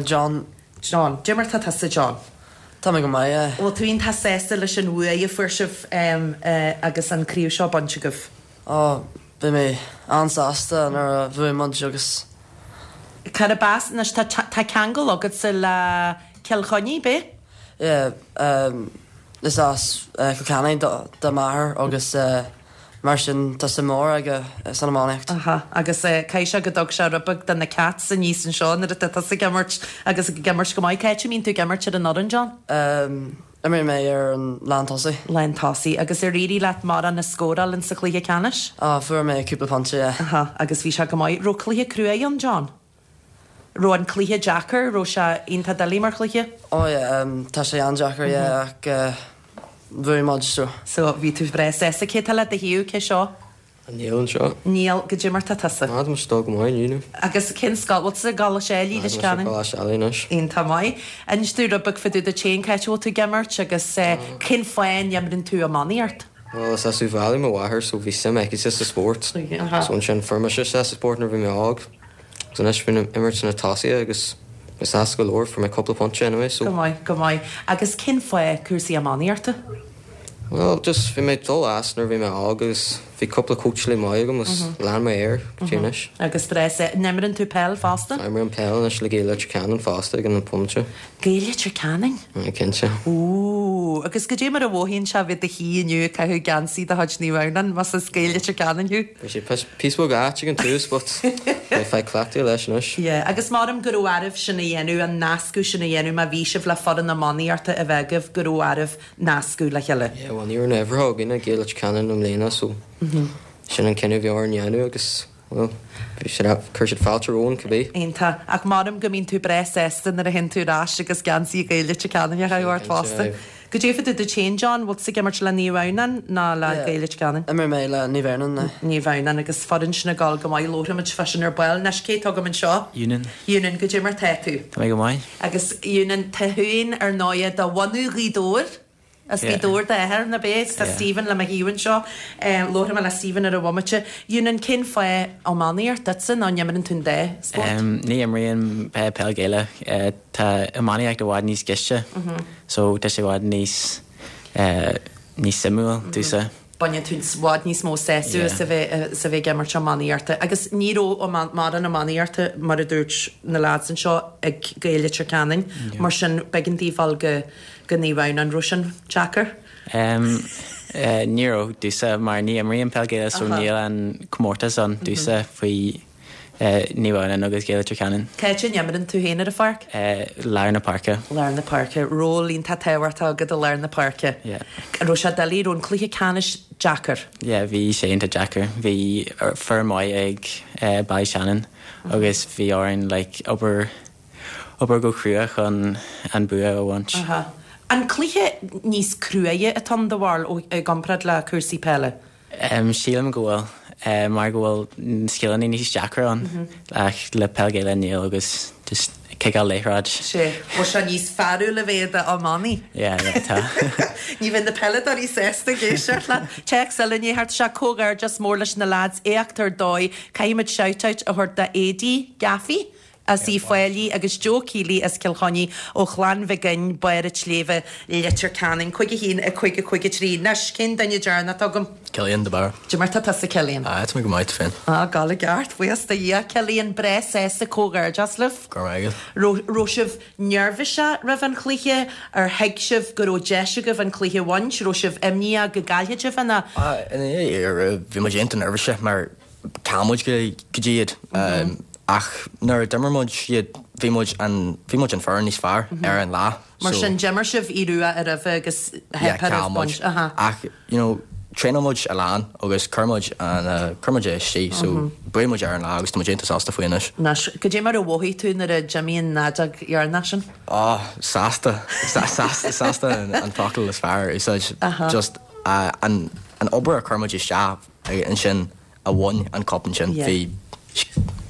John. John. Goidé mar tá tusa, John? Tá mé go maith, yeah. Bhfuil tú iontach sásta leis an bhuaidh a fuair sibh agus an craobh seo bainte agaibh? Ó, bhí mé an-sásta nuair a bhuaigh muid agus. Cárb as, anois tá tá ceangal agatsa le Cill Chainnigh, b'é? Yeah, um, is as Cill Chainnigh do m'athair agus mar sin tá suim mór aige san iománaíocht. Aha, agus caithfidh sé go dtug sé rud beag do na Cats aníos anseo nuair atá tusa ag imirt agus ag imirt go maith. Cá háit a mbíonn tú ag imirt ar an fhoireann, John? Um, imríonn mé ar an lántosaí. Lántosaí. Agus ar éirigh leat mórán a scóráil in sa chluiche ceannais? Ah, fuair mé cúpla pointe, yeah. Aha, agus bhí sé go maith. Raibh cluiche cruaidh ann, John? Raibh an cluiche deacair? Raibh sé iontach doiligh mar chluiche? Oh yeah, um, tá sé an-deacair, yeah, ach uh, bhuaigh muid so. So bhí tú breá sásta. Cé tá le do thaobh, cé seo? Neil anseo. Neil, goidé mar tá tusa? Ah, tá mise go maith, you know. Agus cén scoil bhfuil tú ag dul i Leitir Ceanainn? Coláiste Ailigh anois. Iontach maith. Inis dúinn rud beag fá dtaobh duit féin, cá háit a bhfuil tú ag imirt agus cén fáth a n-imríonn tú iománaíocht? Well, is as Uíbh Fhailí mo mháthair, so bhí suim aici sa spórt. So ansin fuair mise sa spórt nuair bhí mé óg. So anois bhí imirt na tosaithe agus mé sásta go leor fuair mé cúpla pointe anyway, so. Go maith, go maith. Agus cén fáth cúrsaí iománaíochta? Well, just bhí mé dul as nuair bhí mé óg agus bhí cúpla coachálaí maith agam agus lean mé air go dtí anois. Agus breá. An imríonn tú peil fosta? Imrím peil anois le Gaeil Leitir Ceanainn fosta ag an pointe. Gaeil Leitir Ceanainn? Cinnte. Ó, agus goidé mar a mhothaíonn sé bheith i do shuí inniu ag caitheamh geansaí de chuid Naomh Adhamhnáin, más as Gaeil Leitir Ceanainn thú? Bhí sé píosa beag ait ag an tús, but beidh faic cleachtaithe leis anois. Yeah, agus maram go raibh oraibh sin a dhéanamh, an nascadh sin a dhéanamh má bhí sibh le foireann iománaíochta a bheith agaibh go raibh oraibh nascadh le chéile. Yeah, well, ní raibh na huimhreacha againn ag Gaeil Leitir Ceanainn i mbliana, so sin an cinneadh a bhí orainn dhéanamh agus well, bhí siad chuir siad fáilte romhainn cibé. Iontach, ach maram go mbíonn tú breá sásta nuair a théann tú ar ais agus geansaí Gaeil Leitir Ceanainn a chaitheamh ort fosta. Goidé fá dtaobh duit féin, John, bhfuil tú ag imirt le Naomh Adhamhnáin ná le Gaeil Leitir Ceanainn? Imreoidh mé le Naomh Adhamhnáin. Naomh Adhamhnáin agus foireann sin ag dul go maith labhróimid fá sin ar ball. Anois cé atá agam anseo? Eunan. Eunan, goidé mar tá tú? Tá mé go maith. Agus Eunan, tá tú féin ar ndóigh de bhunadh Ghaoth Dobhair? As Gaoth Dobhair d'athair nach ea, tá Stephen le mo thaobh anseo. Labharfaidh mé le Stephen ar an bhomaite. Eunan, cén fáth iománaíocht duitse nó an imríonn tú an dá spórt? Ní imrím peil Gaelach. Tá iománaíocht i bhfad níos gaiste, so tá sé i bhfad níos níos suimiúil domhsa. Baineann tú i bhfad níos mó sásamh as a bheith as a bheith ag imirt iománaíochta. Agus ní raibh mórán iománaíochta mar a dúirt na lads anseo ag Gaeil Leitir Ceanainn, mar sin b'éigean daoibh dul go go Naomh Adhamhnáin. An raibh sin deacair? Ní raibh domhsa mar ní imrím peil Gaelach so níl an comórtas ann domhsa faoi Naomh Adhamhnáin agus Gaeil Leitir Ceanainn. Cá háit a n-imríonn tú féin ar an pháirc? Lár na páirce. Lár na páirce. Ról iontach tábhachtach agat i lár na páirce. Yeah. An raibh sé doiligh, raibh an cluiche ceannais deacair? Yeah, bhí sé iontach deacair. Bhí foireann maith ag Ballyshannon agus bhí orainn like obair obair go crua chun an bua a bhaint. Aha. An cluiche níos cruaidhe atá ann do bharúil i gcomparáid le cúrsaí peile? Um, sílim go bhfuil uh, mar go bhfuil scileanna níos deacra ann mm -hmm. ach le peil Gaelach níl agus just ciceáil liathróid. Sé bhfuil sé níos fearúla bheith iománaí. Yeah, yeah, tá. Ní bheidh na peileadóirí sásta ag éisteacht leat. Téacs eile ní thart sé comhghairdeas mór leis na lads éacht ar dóigh caithfimid shoutout a thabhairt d'Éidí Gaffey. as Uíbh Fhailí agus Joe Keely as Cill Chainnigh ó Chlann Mhig Fhinn, Barr an tSléibhe, Leitir Ceanainn, cúig a haon, a cúig a cúig a trí. Anois, cén duine deireanach atá agam? Cillian de Barra. Cad é mar tá tusa Cillian? Ah, tá mé go maith féin. Ah, gal i gceart, buíochas do Dhia. Cillian, breá sásta comhghairdeas libh. Go raibh maith agat. Raibh sibh neirbhíseach roimh an chluiche? Ar thuig sibh go raibh deis agaibh an cluiche a bhaint? Raibh sibh imníoch go gcaillfeadh sibh ina? Ah, ina dhiaidh, bhí muid iontach neirbhíseach mar chaill muid go dtí iad. Ach nuair a d'imir muid iad, bhí muid an, bhí muid an foireann níos fearr ar an lá. Mar sin, d'imir sibh Aodh Rua roimhe agus theip oraibh baint. Aha. Ach, you know, traenáil muid a lán agus chuir muid an, chuir muid é istigh, so bhuaigh muid ar an lá agus tá muid iontach sásta faoi anois. Anois, cad é mar a mhothaigh tú nuair a d'imigh an fheadóg dheireanach sin? Oh, sásta. Sásta, sásta an focal is fearr a úsáid. Just, an, an obair a chuir muid isteach ansin a bhain an cup ansin, bhí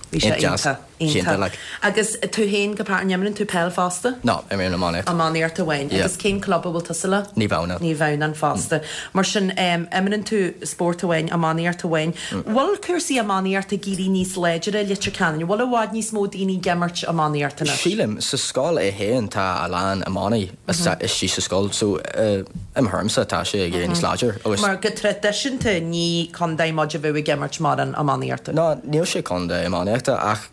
Bhí sé iontach, iontach. Agus tú féin go páirt, an imríonn tú peil fosta? No, imrím iománaíocht. Iománaíocht amháin. Agus cén club a bhfuil tusa le? Naomh Adhamhnáin. Naomh Adhamhnáin fosta. Mar sin, imríonn tú spórt amháin, iománaíocht amháin. Bhfuil cúrsaí iománaíochta ag éirí níos láidre i Leitir Ceanainn? Bhfuil i bhfad níos mó daoine ag imirt iománaíocht anois? Sílim, sa scoil é féin tá a lán iománaí istigh sa scoil, so i mo thuairimse tá sé ag éirí níos láidir. Mar go traidisiúnta ní contae muid a bheadh ag imirt mórán iománaíochta. No, níl sé contae iománaíochta ach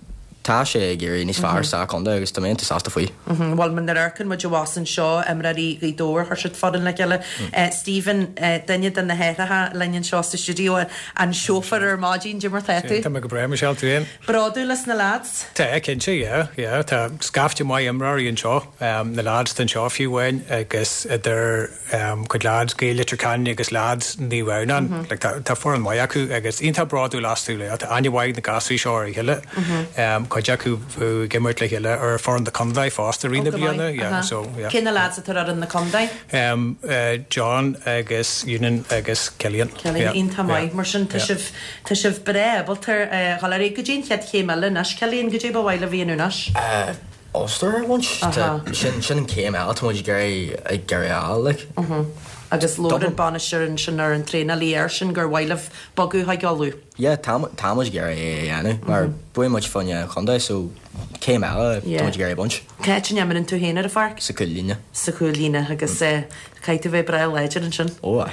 tá sé ag éirí níos fearr sa chontae agus tá mé iontach sásta faoi. Bhuel, nuair a amharcann muid abhus anseo, imreoirí Ghaoth Dobhair, chuir siad foireann le chéile. Stephen, duine de na hathraithe linn anseo sa stiúideo, an seofar ar maidin, cad é mar tá tú? Tá mé go breá, Michelle, tú féin? Bródúil as na lads? Tá, cinnte, yeah, yeah. Tá scaifte maith imreoirí anseo, na lads anseo fiú amháin agus idir cuid lads Gaeil Leitir Ceanainn agus lads Naomh Adhamhnáin. Like, tá foireann maith acu agus iontach bródúil astu le. Tá aithne mhaith ag na gasúir seo ar a chéile. Cuid acu ag imirt le chéile ar foireann na contae fosta i rith na bliana. Yeah, so, yeah. Cé na lads atá ar fhoireann na contae? Um, uh, John agus Eunan agus Cillian. Cillian, iontach maith. Mar sin tá sibh tá sibh breá ábalta dhul ar aghaidh go dtí an chéad chéim eile anois. Cillian, cad é ba mhaith libh a dhéanamh anois? Uh, Ulster a bhaint. Sin sin an céim eile tá muid ag iarraidh ag iarraidh a fháil, like. Agus labhair an bainisteoir ansin ar an traenálaí air sin gur mhaith libh bogadh chuig Uladh. Yeah, tá tá muid ag iarraidh é a dhéanamh mar bhuaigh muid fá choinne an chontae so céim eile tá muid ag iarraidh a bhaint. Cá háit a n-imríonn tú féin ar an pháirc? Sa chúl-líne. Sa chúl-líne agus caithfidh tú bheith breá láidir ansin. Ó aye.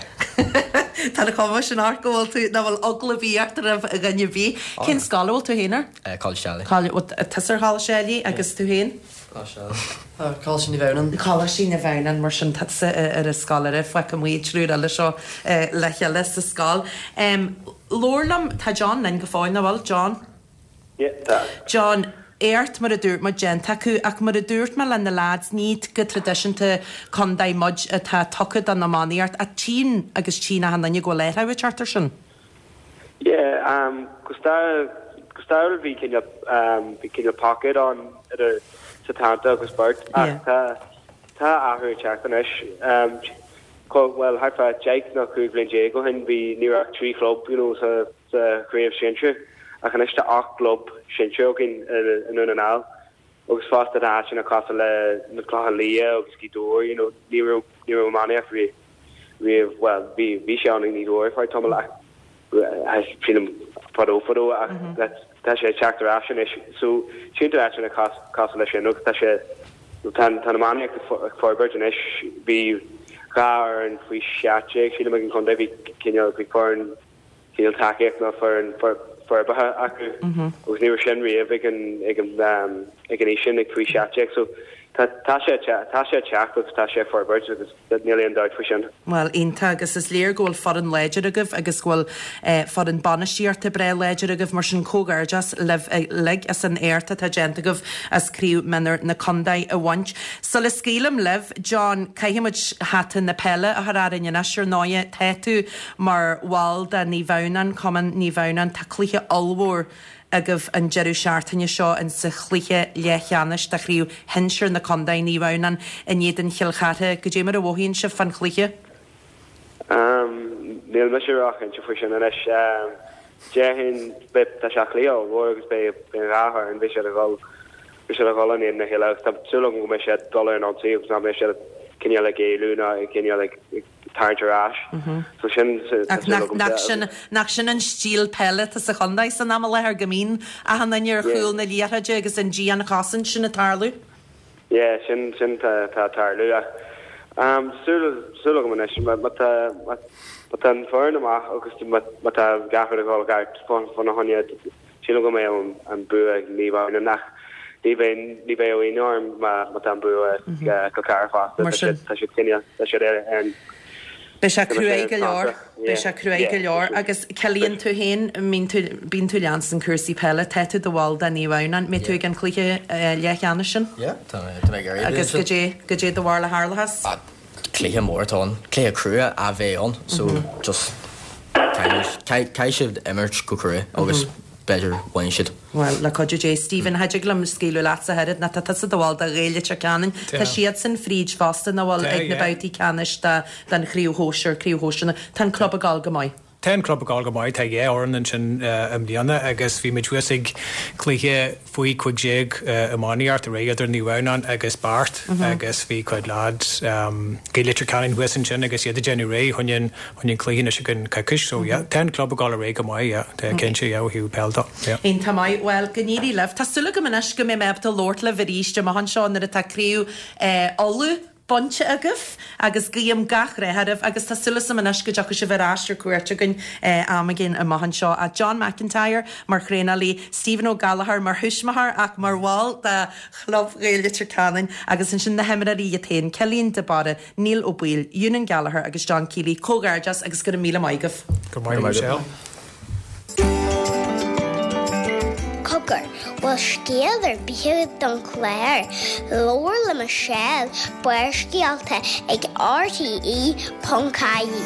Tá na cuma sin ort go bhfuil tú nach bhfuil eagla ar bith ort roimh dhuine ar bith. Cén scoil a bhfuil tú féin air? Coláiste Ailigh. Tusa ar Choláiste Ailigh agus tú féin? Coláiste Naomh Adhamhnáin. Coláiste Naomh Adhamhnáin mar sin tusa ar an scoil eile fágfaidh muid triúr eile seo le chéile sa scoil. Labhair liom, tá John linn go fóill, nach bhfuil, John? Yeah, tá. John, éacht mar a dúirt muid déanta acu ach mar a dúirt mé le na lads ní go traidisiúnta contae muid atá tugtha don iománaíocht ach tchíonn agus tchíonn achan duine go bhfuil athrú ag teacht air sin. Yeah, um, go stair go stairiúil bhí cineál um, bhí cineál pocket ann idir Setanta agus Beart ach tá tá athrú ag teacht anois. Um, well, thart fá deich nó cúig bhliain déag ó shin bhí ní raibh ach trí chlub you know, sa, sa chraobh sinsir. Ach anois tá ocht gclub sinsir againn i nDún na nGall. Agus fosta tá áiteanna cosúil le na Clochán Liath agus Gaoth Dobhair, you know, ní raibh ní raibh iománaíocht riamh riamh well bhí bhí sé ann i nGaoth Dobhair fá tamall ach sílim fadó fadó ach tá sé ag teacht ar ais anois. So tchíonn tú áiteanna cosúil leis sin agus tá sé tá tá an iománaíocht ag forbairt anois. Bhí dhá fhoireann faoi seacht déag sílim ag an chontae bhí cineál bhí foireann cineál tacaíocht nó foireann forbartha acu agus ní raibh sin riamh ag an ag an ag an aois sin ag faoi seacht déag so tá tá sé tá sé teacht agus tá sé forbairt agus níl aon dabht faoi sin. Bhuel, iontach agus is léir go bhfuil foireann láidir agaibh agus go bhfuil eh, foireann bainistíochta breá láidir agaibh mar sin comhghairdeas libh uilig as an éacht atá déanta agaibh as craobh mionúir na contae a bhaint. Sula scaoilim libh, John, caithfimid hata na peile a chur orainn anois ar ndóigh tá tú mar bhall de Naomh Adhamhnáin, Cumann Naomh Adhamhnáin, tá cluiche ollmhór agaibh an deireadh seachtaine seo in sa chluiche leathcheannais de chraobh shinsir na contae Naomh Adhamhnáin in éadan Chill Chartha, goidé mar a mhothaíonn sibh fán chluiche? Um, níl mise róchinnte faoi sin anois um, déarfainn tá sé cluiche ollmhór agus beidh beidh dhá fhoireann beidh siad ag dul beidh siad ag dul in éadan a chéile agus tá súil agam go mbeidh siad dul ar an ionsaí agus nach mbeidh siad cineál ag éalú ná cineál ag ag tarraingt ar ais. So sin tá Ach súil nach, agam nach de- sin, nach sin an stíl peile atá sa chontae san am i láthair go mbíonn achan duine ar Yeah. chúl na liathróide agus an dianchosaint sin ag tarlú? Yeah, sin sin tá tá tarlú ach um, súil súil agam anois má má tá má má tá an foireann amach agus má má tá gach rud ag dul ceart fá fána choinne sílim go mbeidh an an bua ag Naomh Adhamhnáin ach ní bheidh ní bheidh aon orm má má tá an bua ag Cill Chartha fosta Mar Tá sin. siad tá siad cineál tá siad ar ar an Beidh sé Tá sé cruaidh go leor, fanta. Beidh sé cruaidh go Yeah. leor agus Cillian tú féin bíonn tú bíonn tú leansan cúrsaí peile, tá tú i do bhall de Naomh Adhamhnáin, mbeidh tú ag an cluiche eh, leathcheannais sin Yeah, tá mé tá mé ag iarraidh agus sin. goidé goidé do bharúil a tharlós? Ah, Cluiche mór atá ann, cluiche crua a bheidh ann, so just caithfidh siad imirt go crua agus b'fhéidir bhain siad. Well, le cuidiú Dé Stephen cha dtig liom scaoileadh leatsa oiread ná tá tusa i do bhall de Ghaeil Leitir Ceanainn. Tá siad san fríd fosta ná bhfuil Tá, ag na yeah. babhtaí ceannais den chraobh shóisir craobh shóisir Tá an club ag gabháil go maith. Tá an club ag gabháil go maith tá dhá fhoireann ansin i mbliana agus bhí muid thuas ag cluiche faoi cúig déag iománaíocht aréir idir Naomh Adhamhnáin agus Beart agus bhí cuid lads Gaeil Leitir Ceanainn thuas ansin agus iad ag déanamh réidh chun an chun an cluiche anois againn coicís so yeah, tá an club ag gabháil réidh go maith yeah, tá cinnte yeah, ó thaobh peil de. Yeah. Iontach maith well go n-éirí libh Tá súil agam anois go mbeidh mé ábalta labhairt libh arís amach anseo nuair atá craobh eh, Uladh bainte agaibh agus guím gach rath oraibh agus tá súil agam anois go dtiocfaidh sibh ar ais ar cuairt againn eh, am éigin amach anseo a John McIntyre mar thraenálaí, Stephen Ó Gallchóir mar thuismitheoir ach mar bhall de chlub Ghaeil Leitir Ceanainn agus ansin na himreoirí iad féin Cillian de Barra, Neil Ó Baoill, Eunan Gallagher agus John Keeley comhghairdeas agus go raibh míle maith agaibh. Go maith Michelle. Cogar, bhfuil scéal ar bith don chlár, Labhair le Michelle Barrscéalta ag RTE ponc ie.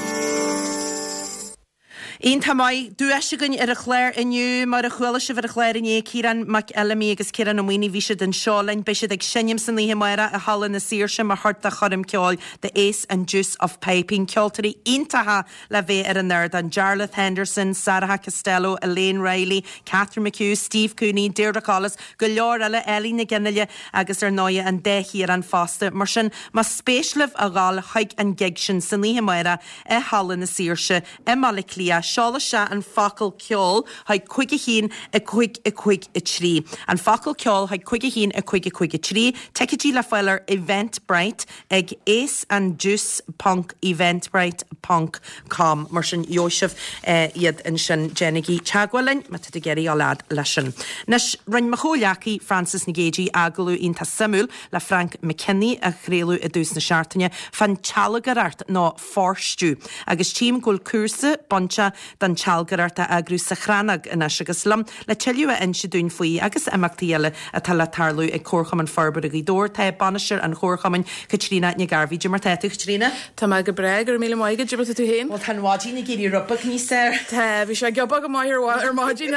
Iontach maith duais againn ar an chlár inniu mar a chuala sibh ar an chlár inné Ciarán Mac Fheilimí agus Ciarán Ó Maonaigh bhí siad anseo linn beidh siad ag seinm san oíche amárach i Halla na Saoirse mar chuid de choirm ceoil The Ace and Deuce of Piping ceoltóirí iontacha le bheith ar an ardán Jarlath Henderson, Sarah Costello, Elaine Riley, Catherine McHugh, Steve Cooney, Deirdre Collis, go leor eile Ellie na Ginile agus ar ndóigh an dá Chiarán fosta mar sin más spéis libh a ghabháil chuig an gig sin san oíche amárach i Halla na Saoirse i mBaile Átha Cliath seol isteach an focal ceol chuig cúig a haon a cúig a cúig a trí. An focal ceol chuig cúig a haon a cúig a cúig a trí, Ticéidí le fáil ar Eventbrite ag aceanddeuce ponc eventbrite ponc com mar sin gheobhaidh sibh eh, iad ansin déanaigí teagmháil linn má tá ag iarraidh a lead leis sin. Anois rinne mo chomhghleacaí Francis Nic Géadaigh agallamh iontach suimiúil le Frank McKinney a chraoladh i dtús na seachtaine fán tsealgaireacht nó forestry agus tchím go bhfuil cúrsa bainte den tsealgaireacht a eagrú sa Chrannóg anois agus liom le tuilleadh a inse dúinn faoi agus imeachtaí eile atá le tarlú ag Comharchumann Forbartha Ghaoth Dobhair tá bainisteoir an Chomharchumainn Caitríona Nic Gairbhí mar tá tú Caitríona? Tá mé go breá go raibh míle maith agat tú féin? Well tá an mhaidin ag éirí rud beag níos fearr. Tá bhí sé giobach go maith ar ar maidin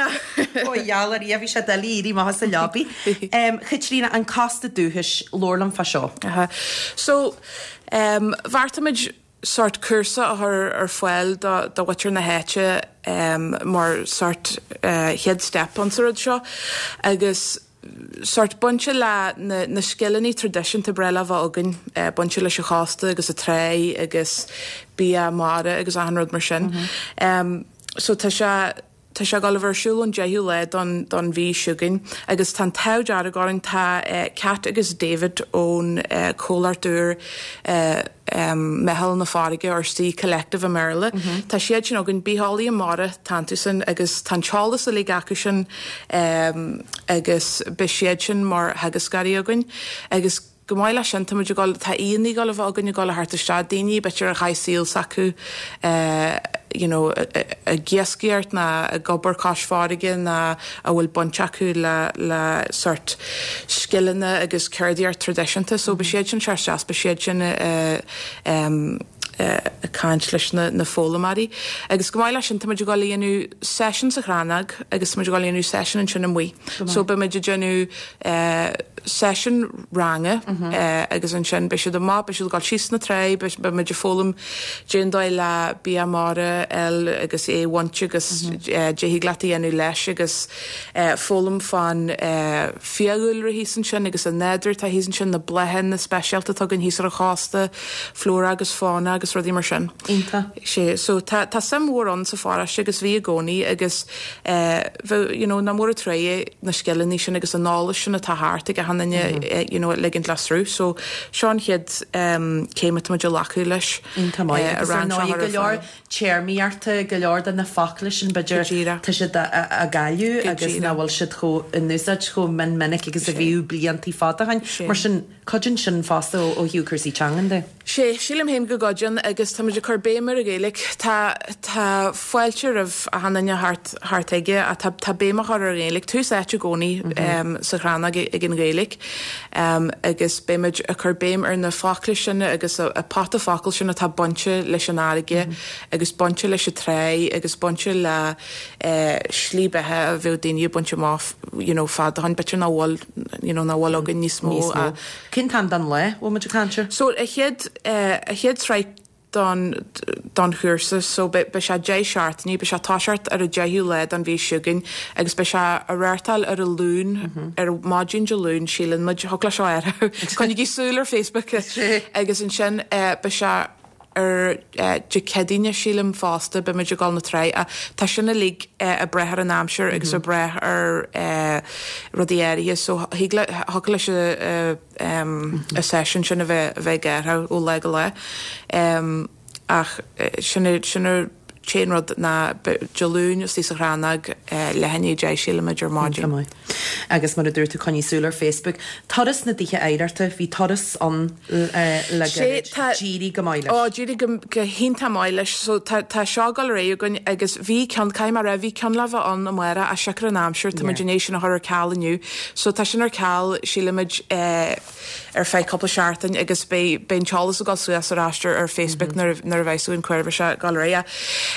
Ó gheall ar bhí sé doiligh éirí amach as an leabaidh. Um, Caitríona an cósta dúchais labhair liom fá seo. Uh, so um, bheartaigh sort cúrsa a chur ar fáil do do mhuintir na háite um, mar sort uh, chéad step an sa rud seo agus sort bainte le na, na scileanna traidisiúnta breá a bheith againn uh, bainte leis an chósta agus an trá agus bia mara agus achan rud mar sin. Mm -hmm. um, so tá sé Tá sé ag dul ar siúl an deichiú lá don, don mhí seo chugainn, agus tá t-ádh dearg orainn tá eh, Cat agus David ón eh, comhlacht úr eh, um, Meitheal na Farraige or Sea Collective i mBéarla. Mm -hmm. Tá siad sin againn bitheolaí mara tánú sin agus tá teolas a le acu sin um, agus beidh siad sin mar theagascóirí againn agus Chomh maith leis sin, tá muid ag dul, tá aíonna ag dul a bheith againn ag dul a theacht isteach, daoine b'fhéidir a chaith saol s'acu you know ag iascaireacht ná ag obair cois farraige ná a bhfuil baint acu le le sort scileanna agus ceardaíocht traidisiúnta. So beidh siad sin ag teacht isteach, beidh siad sin ag caint leis na na foghlaimeoirí. Agus chomh maith leis sin tá muid ag dul a dhéanamh session sa Chrannóg agus tá muid ag dul a dhéanamh session ansin amuigh. So beidh muid ag déanamh session ranga agus ansin beidh siad amach, beidh siad ag dul síos na trá, beidh muid ag foghlaim cén dóigh le bia mara a fháil agus é a bhaint agus cad a thig leat a dhéanamh leis agus foghlaim fán fiadhúlra thíos ansin agus an nádúr atá thíos ansin, na bláthanna speisialta atá againn thíos ar an chósta, flora agus fauna agus rudaí mar sin. Iontach. Sé, so tá tá suim mhór ann sa pharóiste agus bhí i gcónaí agus bheadh, you know, nach mór an trua é na scileanna sin agus an eolas sin atá thart ag achan duine, you know, a ligint le sruth. So seo an chéad céim atá muid ag glacadh leis. Iontach maith. Agus ar ndóigh go leor téarmaíochta, go leor de na focla sin b'fhéidir tá siad á gcailleadh agus nach bhfuil siad chomh in úsáid chomh mion minic agus a bhíodh blianta fada ó shin. Mar sin cuidíonn sin fosta ó thaobh cúrsaí teangan de. Sé, sílim féin go gcuidíonn agus tá muid ag cur béim ar an Ghaeilge. Tá, tá fáilte roimh achan duine thart, thart aige ach tá, tá béim á chur ar an Ghaeilge. Tús áite i gcónaí sa Chrannóg ag an Ghaeilge agus beidh muid ag cur béim ar na focla sin agus a pota focal sin atá bainte leis an fharraige agus bainte leis an tráigh agus bainte le slí beatha a bheadh daoine ag baint amach you know fad ó shin, b'fhéidir nach bhfuil, you know, nach bhfuil againn níos mó. Níos mó. Cén t-am den lá a bhfuil muid ag caint air? So a chéad, a chéad sraith don, don chúrsa so beidh, beidh sé deich seachtainí, beidh sé ag toiseacht ar an deichiú lá den mhí seo chugainn agus beidh sé á reáchtáil ar an Luan, ar maidin Dé Luain síleann muid, thiocfadh leis seo a athrú, coinnigí súil ar Facebook agus ansin beidh sé ar Dé Céadaoine sílim fosta, beidh muid ag dul na trá ach tá sin uilig ag brath ar an aimsir agus ag brath ar rudaí áirithe so thig le, thiocfadh leis an seisiún sin a bheith a bheith ag athrú ó lá go lá. Ach sin sin an t-aon rud ná Dé Luain istigh sa Chrannóg leath i ndiaidh a deich sílimid ar maidin. Iontach maith. Agus mar a dúirt tú coinnigh súil ar Facebook. Turas na dTithe Oidhreachta, bhí turas ann le gairid. D'éirigh go maith leis. Ó, d'éirigh go go hiontach maith leis. So tá tá seo ag dul ar aghaidh againn agus bhí ceann, caithfidh mé a rá, bhí ceann le bheith ann amárach ach siocair an aimsir tá muid i ndiaidh sin a chur ar ceal inniu. So tá sin ar ceal sílimid ar feadh cúpla seachtain agus beidh beidh an t-eolas ag dul suas ar ais ar Facebook nuair nuair a bheidh súil cuir sé ag dul ar aghaidh.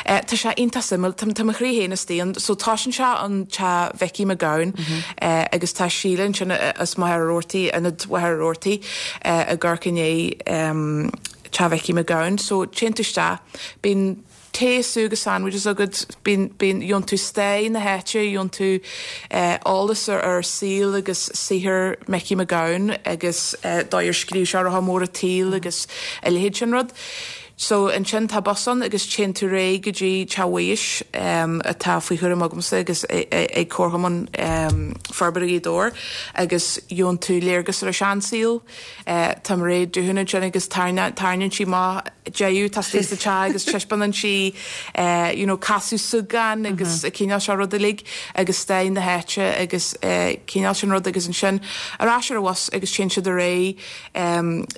Tá sé iontach suimiúil, tá tá mo chroí féin istigh ann. So toisíonn sé an Teach Mhicí Mac Gabhann agus tá Síle ansin as Machaire Rabhartaigh, Ionad Mhachaire Rabhartaigh ag amharc i ndiaidh Teach Mhicí Mac Gabhann. So téann tú isteach, bíonn tae, súgh agus sandwiches agat, bíonn, bíonn, gheobhann tú stair na háite, gheobhann tú eolas ar, ar saol agus saothar Micí Mac Gabhann agus dóigh ar scríobh sé ar a mór an tsaoil agus a leithéid sin rud. So ansin tá bus ann agus téann tú ar aghaidh go dtí Teach Mhuighis atá faoi chúram agamsa agus ag Comharchumann Forbartha Ghaoth Dobhair agus gheobhann tú léargas ar an seansaol. Tá Mairéad Doohan ansin agus tarraingíonn sí amach deicheadh atá istigh sa teach agus taispeánann sí you know casadh súgán agus an cineál seo rud uilig agus stair na háite agus cineál sin rud agus ansin ar ais ar an bhus agus téann siad ar aghaidh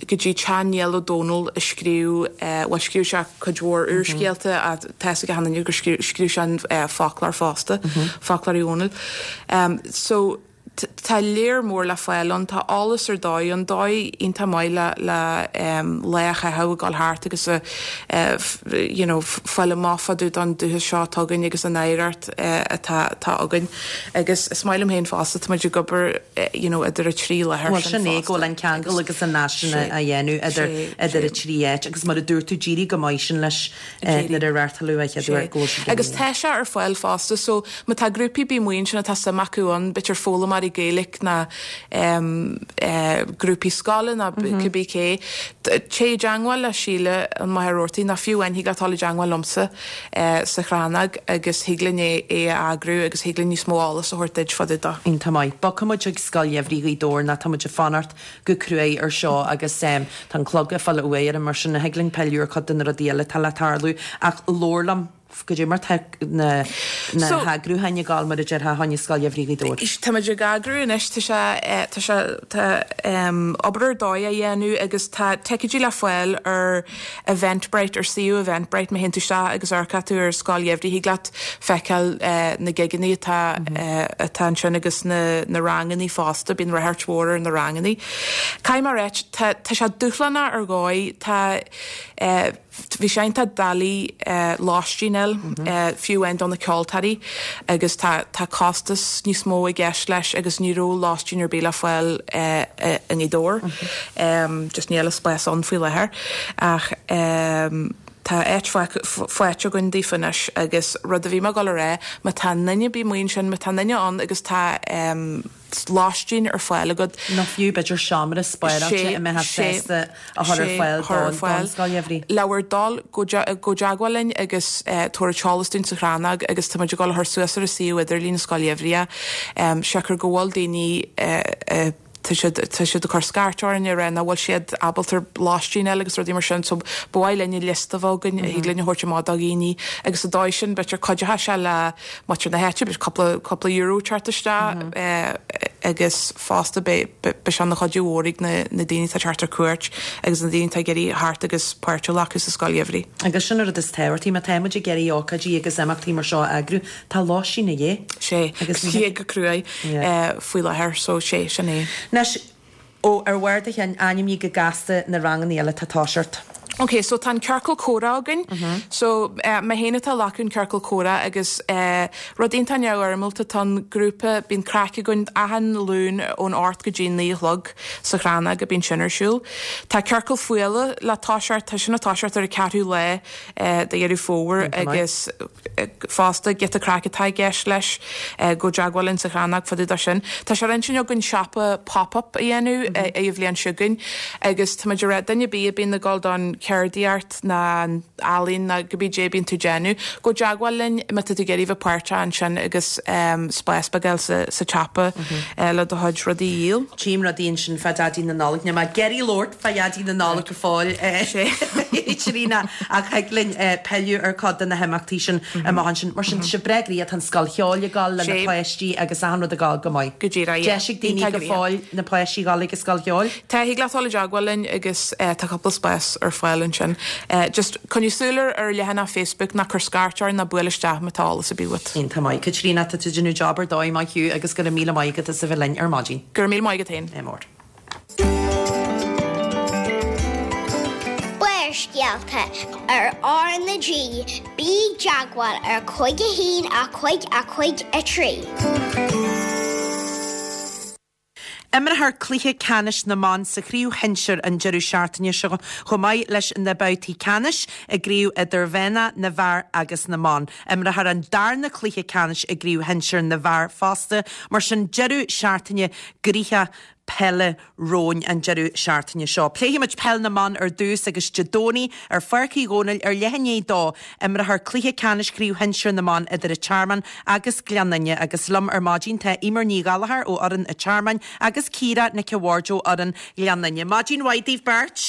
go dtí teach Niall Ó Dónaill a scríobh bhuel scríobh sé cuid mhór úrscéalta ach tá fhios ag achan duine gur scríobh sé an foclóir fosta, Foclóir Uí Dhónaill. So tá lear mór le fáil ann, tá eolas ar dóigh ann, dóigh iontach maith le le lá a chaitheamh ag dul thart agus a you know fáil amach fá dtaobh don dúchas seo atá againn agus an oidhreacht atá atá againn. Agus is maith liom féin fosta, tá muid ag obair you know idir an trí láthair Bhuel sin é, go bhfuil an ceangal agus an nasc sin á dhéanamh idir idir an trí áit agus mar a dúirt tú d'éirigh go maith sin leis nuair a reáchtáladh an chéad uair go bhfuil sé Agus tá sé ar fáil fosta so má tá grúpaí ar bith amuigh ansin atá suim acu ann, b'fhéidir foghlaimeoirí Gaeilge ná grúpaí scoile ná cibé cé, téigh i dteangmháil le Síle i Machaire Rabhartaigh nó fiú amháin thig leat dul i dteangmháil liomsa sa Chrannóg agus thig linn é é a eagrú agus thig linn níos mó eolas a thabhairt duit fá dtaobh dó. Iontach maith. Bogfaidh muid chuig Scoil Gheimhridh Ghaoth Dobhair nó tá muid ag fanacht go cruaidh ar seo agus tá an clog ag fáil uaidh orm mar sin thig linn pilleadh ar chuid de na rudaí eile atá le tarlú ach labhair liom Goidé mar tá na na heagrúcháin ag gabháil mar a déarfá fá choinne Scoil Gheimhridh Ghaoth Dobhair? Tá muid ag eagrú anois, tá sé tá sé tá obair ar dóigh á dhéanamh agus tá ticéidí le fáil ar Eventbrite, ar suíomh Eventbrite, má théann tú isteach agus amharcann tú ar Scoil Gheimhridh thig leat feiceáil na gigeanna atá atá ansin agus na na rangannaí fosta, bíonn ráchairt mhór ar na rangannaí. Caithfidh mé a ráit, tá tá sé dúshlánach ar dhóigh, tá Bhí sé iontach doiligh lóistín a fháil, fiú amháin do na ceoltóirí, agus tá tá costas níos mó i gceist leis agus ní raibh lóistín ar bith le fáil i nGaoth Dobhair. Just níl an spás ann faoi láthair. Ach tá áit faighte againn daofa anois agus rud a bhí mé ag dul a rá, má tá duine ar bith amuigh ansin, má tá duine ann agus tá lóistín ar fáil agat. Nó fiú b'fhéidir seomra spáráilte a mbeifeá sásta a chur ar fáil don Scoil Gheimhridh. Le bhur dtoil, gabh i dteagmháil linn agus tabhair an t-eolas dúinn sa Chrannóg agus tá muid ag dul a chur suas ar an suíomh idirlín Scoil Gheimhridh é, siocair go bhfuil daoine tá siad tá siad ag cur scairt orainn ag rá nach bhfuil siad ábalta lóistín a fháil agus rudaí mar sin so ba mhaith linn liosta a bheith againn a thig linn a thabhairt amach do dhaoine agus sa dóigh sin b'fhéidir cuideoidh sé le muintir na háite b'fhéidir cúpla cúpla euro teacht isteach agus fosta beidh beidh sé ina chuidiú mhór ag na na daoine atá ag teacht ar cuairt agus na daoine atá ag iarraidh theacht agus páirt a ghlacadh sa scoil gheimhridh. Agus sin an rud is tábhachtaí, má tá muid ag iarraidh ócáidí agus imeachtaí mar seo a eagrú, tá lóistín a dhíth. Sé, agus tá go cruaidh faoi láthair so sé, sin é. Anois, ó, ar bharr do chinn, ainmnigh go gasta na ranganna eile atá ag toiseacht. Ok, so tá an ciorcal comhrá againn. So, mé féin atá ag glacadh an ciorcal comhrá agus rud iontach neamhfhoirmeálta atá ann, grúpa, bíonn craic againn achan Luan ón ocht go dtí naoi a chlog sa Chrannóg a bíonn sin ar siúl. Tá ciorcal fuála le toiseacht, tá sin ag toiseacht ar an ceathrú lá de Dheireadh Fómhair agus fosta giota craic atá i gceist leis, gabh i dteagmháil linn sa Chrannóg fá dtaobh de sin. Tá sé ar intinn againn siopa pop-up a dhéanamh ag an bhliain seo chugainn agus tá muid ag rá duine ar bith a bíonn ag dul don cheardaíocht ná an ealaín ná cibé cad é a bíonn tú ag déanamh, gabh i dteagmháil linn má tá tú ag iarraidh bheith páirteach ansin agus spás beag a fháil sa tsiopa le do chuid rudaí a dhíol. Tchím rudaí ansin fá Dhaidí na Nollag. Níl mé ag iarraidh labhairt fá Dhaidí na Nollag go fóill, Tríona, ach thig linn pilleadh ar chuid de na himeachtaí sin amach ansin. Mar sin, tá sibh breá gnoitheach, tá an scoil cheoil ag dul le na páistí agus achan rud ag dul go maith. Go díreach, yeah. Deis ag daoine go fóill na páistí a dhul ag an scoil cheoil? Tá, thig leat dul i dteagmháil linn agus tá cúpla spás ar fáil ansin. Just coinnigh súil ar ar leathanach Facebook ná cuir scairt orainn ná buail isteach má tá eolas ar bith uait. Iontach maith. Caitríona, tá tú ag déanamh job ar dóigh, maith thú agus go raibh míle maith agat as a bheith linn ar maidin. Go raibh míle maith agat féin. Ádh mór. Barrscéalta ar R na G, bí i dteagmháil ar cúig a haon a cúig a cúig a trí. Imreofar cluiche ceannais na mban sa chraobh shinsir an deireadh seachtaine seo chomh maith leis na babhtaí ceannais i gcraobh idirmheánach na bhfear agus na mban. Imreofar an darna cluiche ceannais i gcraobh shinsir na bhfear fosta, mar sin deireadh seachtaine gnoitheach peile romhainn an deireadh seachtaine seo. Pléifimid peil na mban ar dtús agus Dé Domhnaigh ar Pháirc Uí Dhónaill ar leath i ndiaidh a dó, imreofar cluiche ceannais chraobh shinsir na mban idir an Tearmann agus Gleann Fhinne agus liom ar maidin tá Eimear Ní Ghallchóir ó fhoireann an Tearmainn agus Ciara Nic a' Bhaird ó fhoireann Ghleann Fhinne. Maidin mhaith daoibh beirt.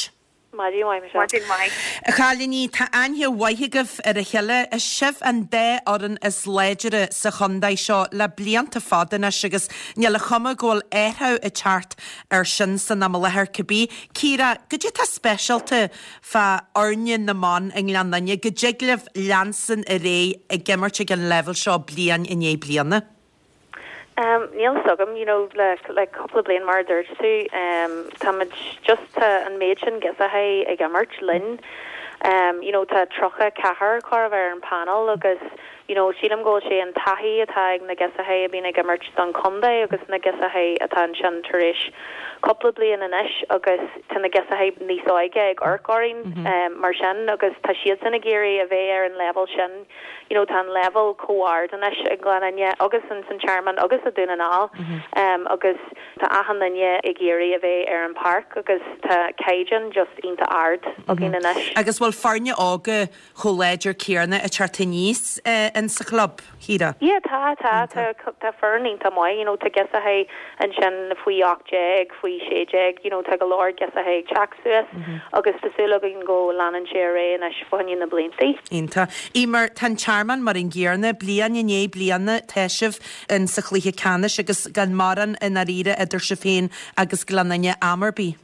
Maidin mhaith, Michelle. Maidin mhaith. A chailíní, tá aithne mhaith agaibh ar a chéile. Is sibh an dá fhoireann is láidre sa chontae seo le blianta fada anois agus níl an chuma go bhfuil athrú ag teacht air sin san am i láthair cibé. Ciara, goidé atá speisialta fá fhoirne na mban i nGleann Fhinne go dtig libh leanstan ar aghaidh ag imirt ag an leibhéal seo bliain i ndiaidh bliana? Um, níl fhios agam, you know, le, le cúpla bliain mar a dúirt tú, um, táimid just tá an méid sin girseachaí ag imirt linn. Um, you know, tá tríocha ceathair chóir a bheith ar an panel agus you know, sílim go bhfuil sé an taithí atá ag na girseachaí a bhíonn ag imirt don chontae agus na girseachaí atá ansin tar éis cúpla bliain anois agus tá na girseachaí níos óige ag amharc orainn mm -hmm. um, mar sin agus tá siadsan ag iarraidh a bheith ar an level sin you know, tá an level chomh hard anois i nGleann Fhinne agus in san Tearmann agus i Dún na nGall mm -hmm. um, agus tá achan duine ag iarraidh a bheith ar an páirc agus tá caighdeán just iontach ard againn mm -hmm. anois. Agus bhfuil foirne óga chomh láidir céanna ag teacht aníos in sa chlub, Chiara? Yeah, tá, tá, tá, tá foireann iontach maith, you know, tá girseachaí ansin faoi ocht déag, faoi sé déag, you know, tá go leor girseachaí ag teacht suas agus tá súil againn go leanann sé ar aghaidh anois fá choinne na bliantaí. Iontach. Eimear, tá an Tearmann mar an gcéanna, bliain i ndiaidh bliana tá sibh in sa chluiche ceannais agus gan mórán i ndáiríre idir sibh féin agus Gleann Fhinne am ar bith.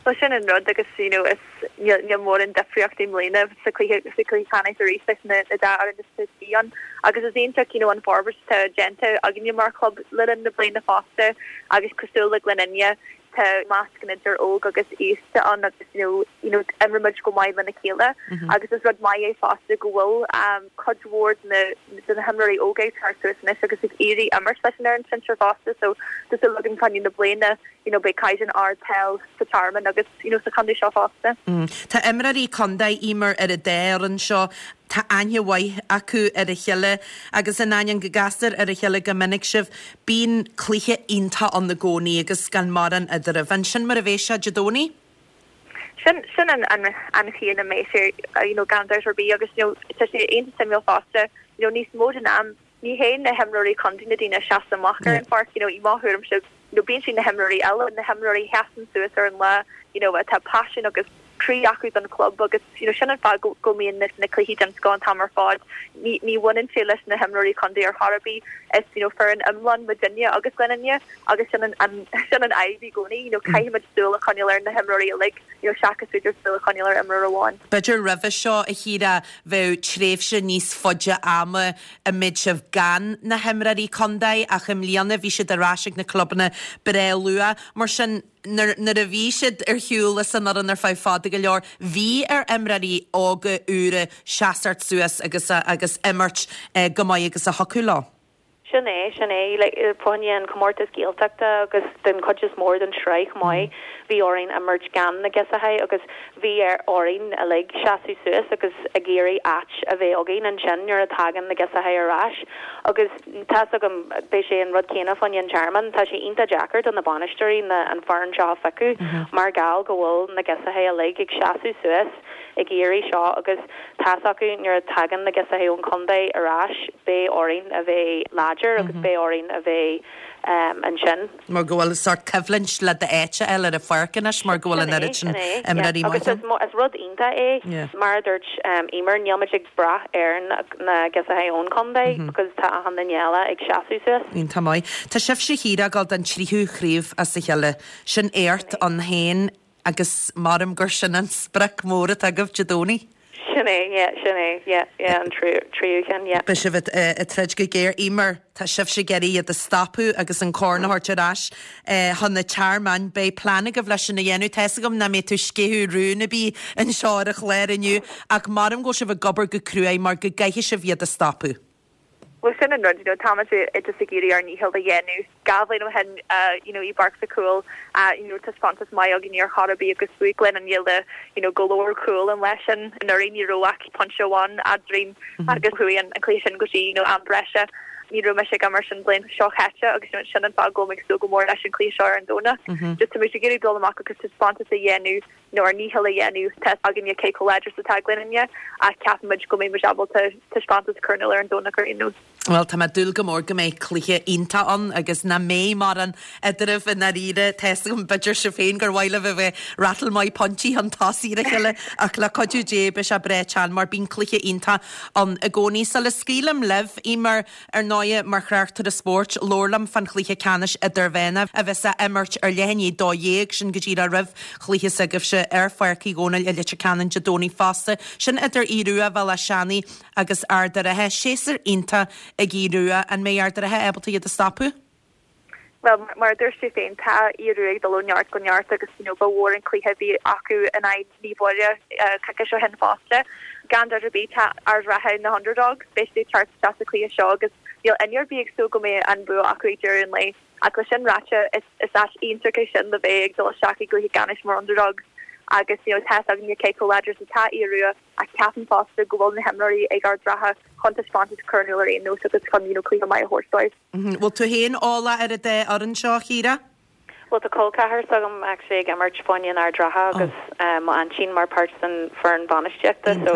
Well sin an rud agus you know is níl níl mórán difríocht i mbliana sa chluiche sa chluiche ceannais arís leis na na dá fhoireann is a bhí ann agus is iontach you know an forbairt atá déanta againne mar chlub le linn na bliana fosta agus cosúil le Gleann Fhinne tá meascán idir óg agus aosta ann agus you know you know imrímid go maith lena chéile agus is rud maith é fosta go bhfuil um cuid mhór de na de na himreoirí óga ag teacht suas anois agus ag iarraidh imirt leis an fhoireann sinsir fosta so tá súil againn fá choinne na bliana you know beidh caighdeán ard peil sa Tearmann agus you know sa chontae seo fosta. Mm. Tá imreoirí contae Eimear ar an dá fhoireann seo tá aithne mhaith acu ar a chéile agus in ainneoin go gcastar ar a chéile go minic sibh, bíonn cluiche iontach ann i gcónaí agus gan mórán eadraibh. An sin mar a bheidh sé Dé Domhnaigh? Sin sin an an an chaoi a mbeidh sé you know gan dabht ar bith agus you know tá sé iontach suimiúil fosta you know níos mó den am ní hé na himreoirí contae na daoine a sheasann amach ar an pháirc you know i mo thuairimse you know bíonn siad na himreoirí eile na himreoirí sheasann suas ar an lá you know atá paisean agus croí acu don club agus you know sin an fáth go go mbíonn na, na cluichí den scoth an t-am ar fad ní ní bhaineann sé leis na himreoirí contae ar chor ar bith is you know foireann iomlán muidinne agus Gleann Fhinne agus sin an, an sin an fhadhb i gcónaí you know caithfimid súil a choinneáil ar na himreoirí uilig you know seachas b'fhéidir súil a choinneáil ar imreoir amháin. B'fhéidir roimhe seo a Chiara bheadh tréimhse níos faide ama a mbeadh sibh gan na himreoirí contae ach i mbliana bhí siad ar ais ag na clubanna breá luath mar sin nuair nuair a bhí siad ar shiúl as an fhoireann ar feadh fada go leor, bhí ar imreoirí óga úra seasamh suas agus agus imirt eh, go maith agus a thiocfadh leo. Sin é sin é le fá choinne an comórtas Gaeltachta agus den chuid is mór den sraith maith bhí orainn imirt gan na girseachaí agus bhí ar orainn uilig seasamh suas agus ag iarraidh áit a bheith againn ansin nuair a tagann na girseachaí ar ais agus tá agam beidh sé an rud céanna fá choinne an Tearmann tá sé iontach deacair do na bainisteoirí na an foireann seo a phiocadh mar gheall go bhfuil na girseachaí uilig ag seasamh suas ag iarraidh seo agus tá acu nuair a tagann na girseachaí ón chontae ar ais beidh orainn a bheith láidir agus beidh orainn a bheith um, ansin. Mar go bhfuil sort coimhlint le d'áit eile ar an pháirc anois mar go bhfuil an oiread sin imreoirí agus is is rud iontach é mar a dúirt um, Eimear nílimid ag brath ar na, na girseachaí ón chontae because tá achan duine eile ag seasamh suas. Iontach maith. Tá sibhse Chiara ag dul don tríú craobh as a chéile sin éacht ann féin agus maram gur sin an sprioc mór atá agaibh Dé Domhnaigh. Sin é sin é an tríú ceann. Beidh sibh ag troid go géar Eimear tá sibhse ag iarraidh iad a stopadh agus an corn a thabhairt ar ais chun an Tearmainn beidh plean agaibh leis sin a dhéanamh Tá agam nach mbeidh tú ag sceitheadh rún ar bith anseo ar an chlár inniu ach maram go sibh ag obair go cruaidh mar go gcaithfidh sibh iad a stopadh. Well sin an rud you know, tá just ag iarraidh ár ndícheall a dhéanamh dhá bhliain ó shin uh, you know, i bPáirc Mhic Cumhaill uh, you know, taispeántas maith againn ar chor ar bith agus bhuaigh Gleann Fhinne le you know, go leor cúl an leis sin anuraidh ní raibh ach pointe amháin eadrainn agus chuaigh an an cluiche sin go dtí you know, am breise. Ní raibh mise ag imirt an bhliain seo chaite agus you know, sin an fáth go ag súil go mór leis an cluiche seo ar an Domhnach. Mm -hmm. Just tá muid ag iarraidh dul amach agus taispeántas a dhéanamh nó ár ndícheall a dhéanamh tá againne cé chomh láidir atá Gleann Fhinne a ceapaimid go mbeidh muid ábalta taispeántas a chur ar an Domhnach ar aon nós. Well tá mé ag dúil go mór go mbeidh cluiche iontach ann agus nach mbeidh mórán eadraibh i ndáiríre tá agam b'fhéidir sibh féin gur mhaith libh a bheith ratal maith pointí chun tosaigh ar a chéile ach le cuidiú Dé beidh sé breá teann mar bíonn cluiche iontach ann i gcónaí sula scaoilim libh Eimear ar ndóigh mar thráchtaire spóirt labhair liom fán chluiche ceannais idirmheánach a bheas á imirt ar leath i ndiaidh a dó dhéag sin go díreach roimh chluiche s'agaibhse ar Pháirc Uí Dhónaill i Leitir Ceanainn Dé Domhnaigh fosta sin idir Aodh Rua Bhéal Átha Seanaidh agus Ard an Rátha séasúr iontach ag Aodh Rua an mbeidh Ard an Rátha ábalta iad a stopadh? Well mar dúirt tú féin tá Aodh Rua ag dul ó neart go neart agus you know, ba mhór an cluiche bhí acu in aghaidh Naomh Muire uh, coicís ó shin fosta. Gan dabht ar bith tá Ard an Rátha na underdogs beidh siad teacht isteach sa chluiche seo agus níl duine ar bith ag súil go mbeidh an bua acu ag deireadh an lae. Ach leis sin ráite is is áit iontach é sin le bheith ag dul isteach i gcluiche ceannais mar underdogs agus you know, tá againne cé chomh láidir atá Aodh Rua a ceapaim fosta go bhfuil na himreoirí ag Ard an Rátha chun taispeántas a chur ar aon nós agus chun you know, cluiche maith a thabhairt dóibh. Bhfuil tú féin eolach ar an dá fhoireann seo Chiara? Well tá col ceathar s'agam actually ag imirt fá choinne an Ard Ratha agus um, mo aintín mar páirt den foireann bainistíochta so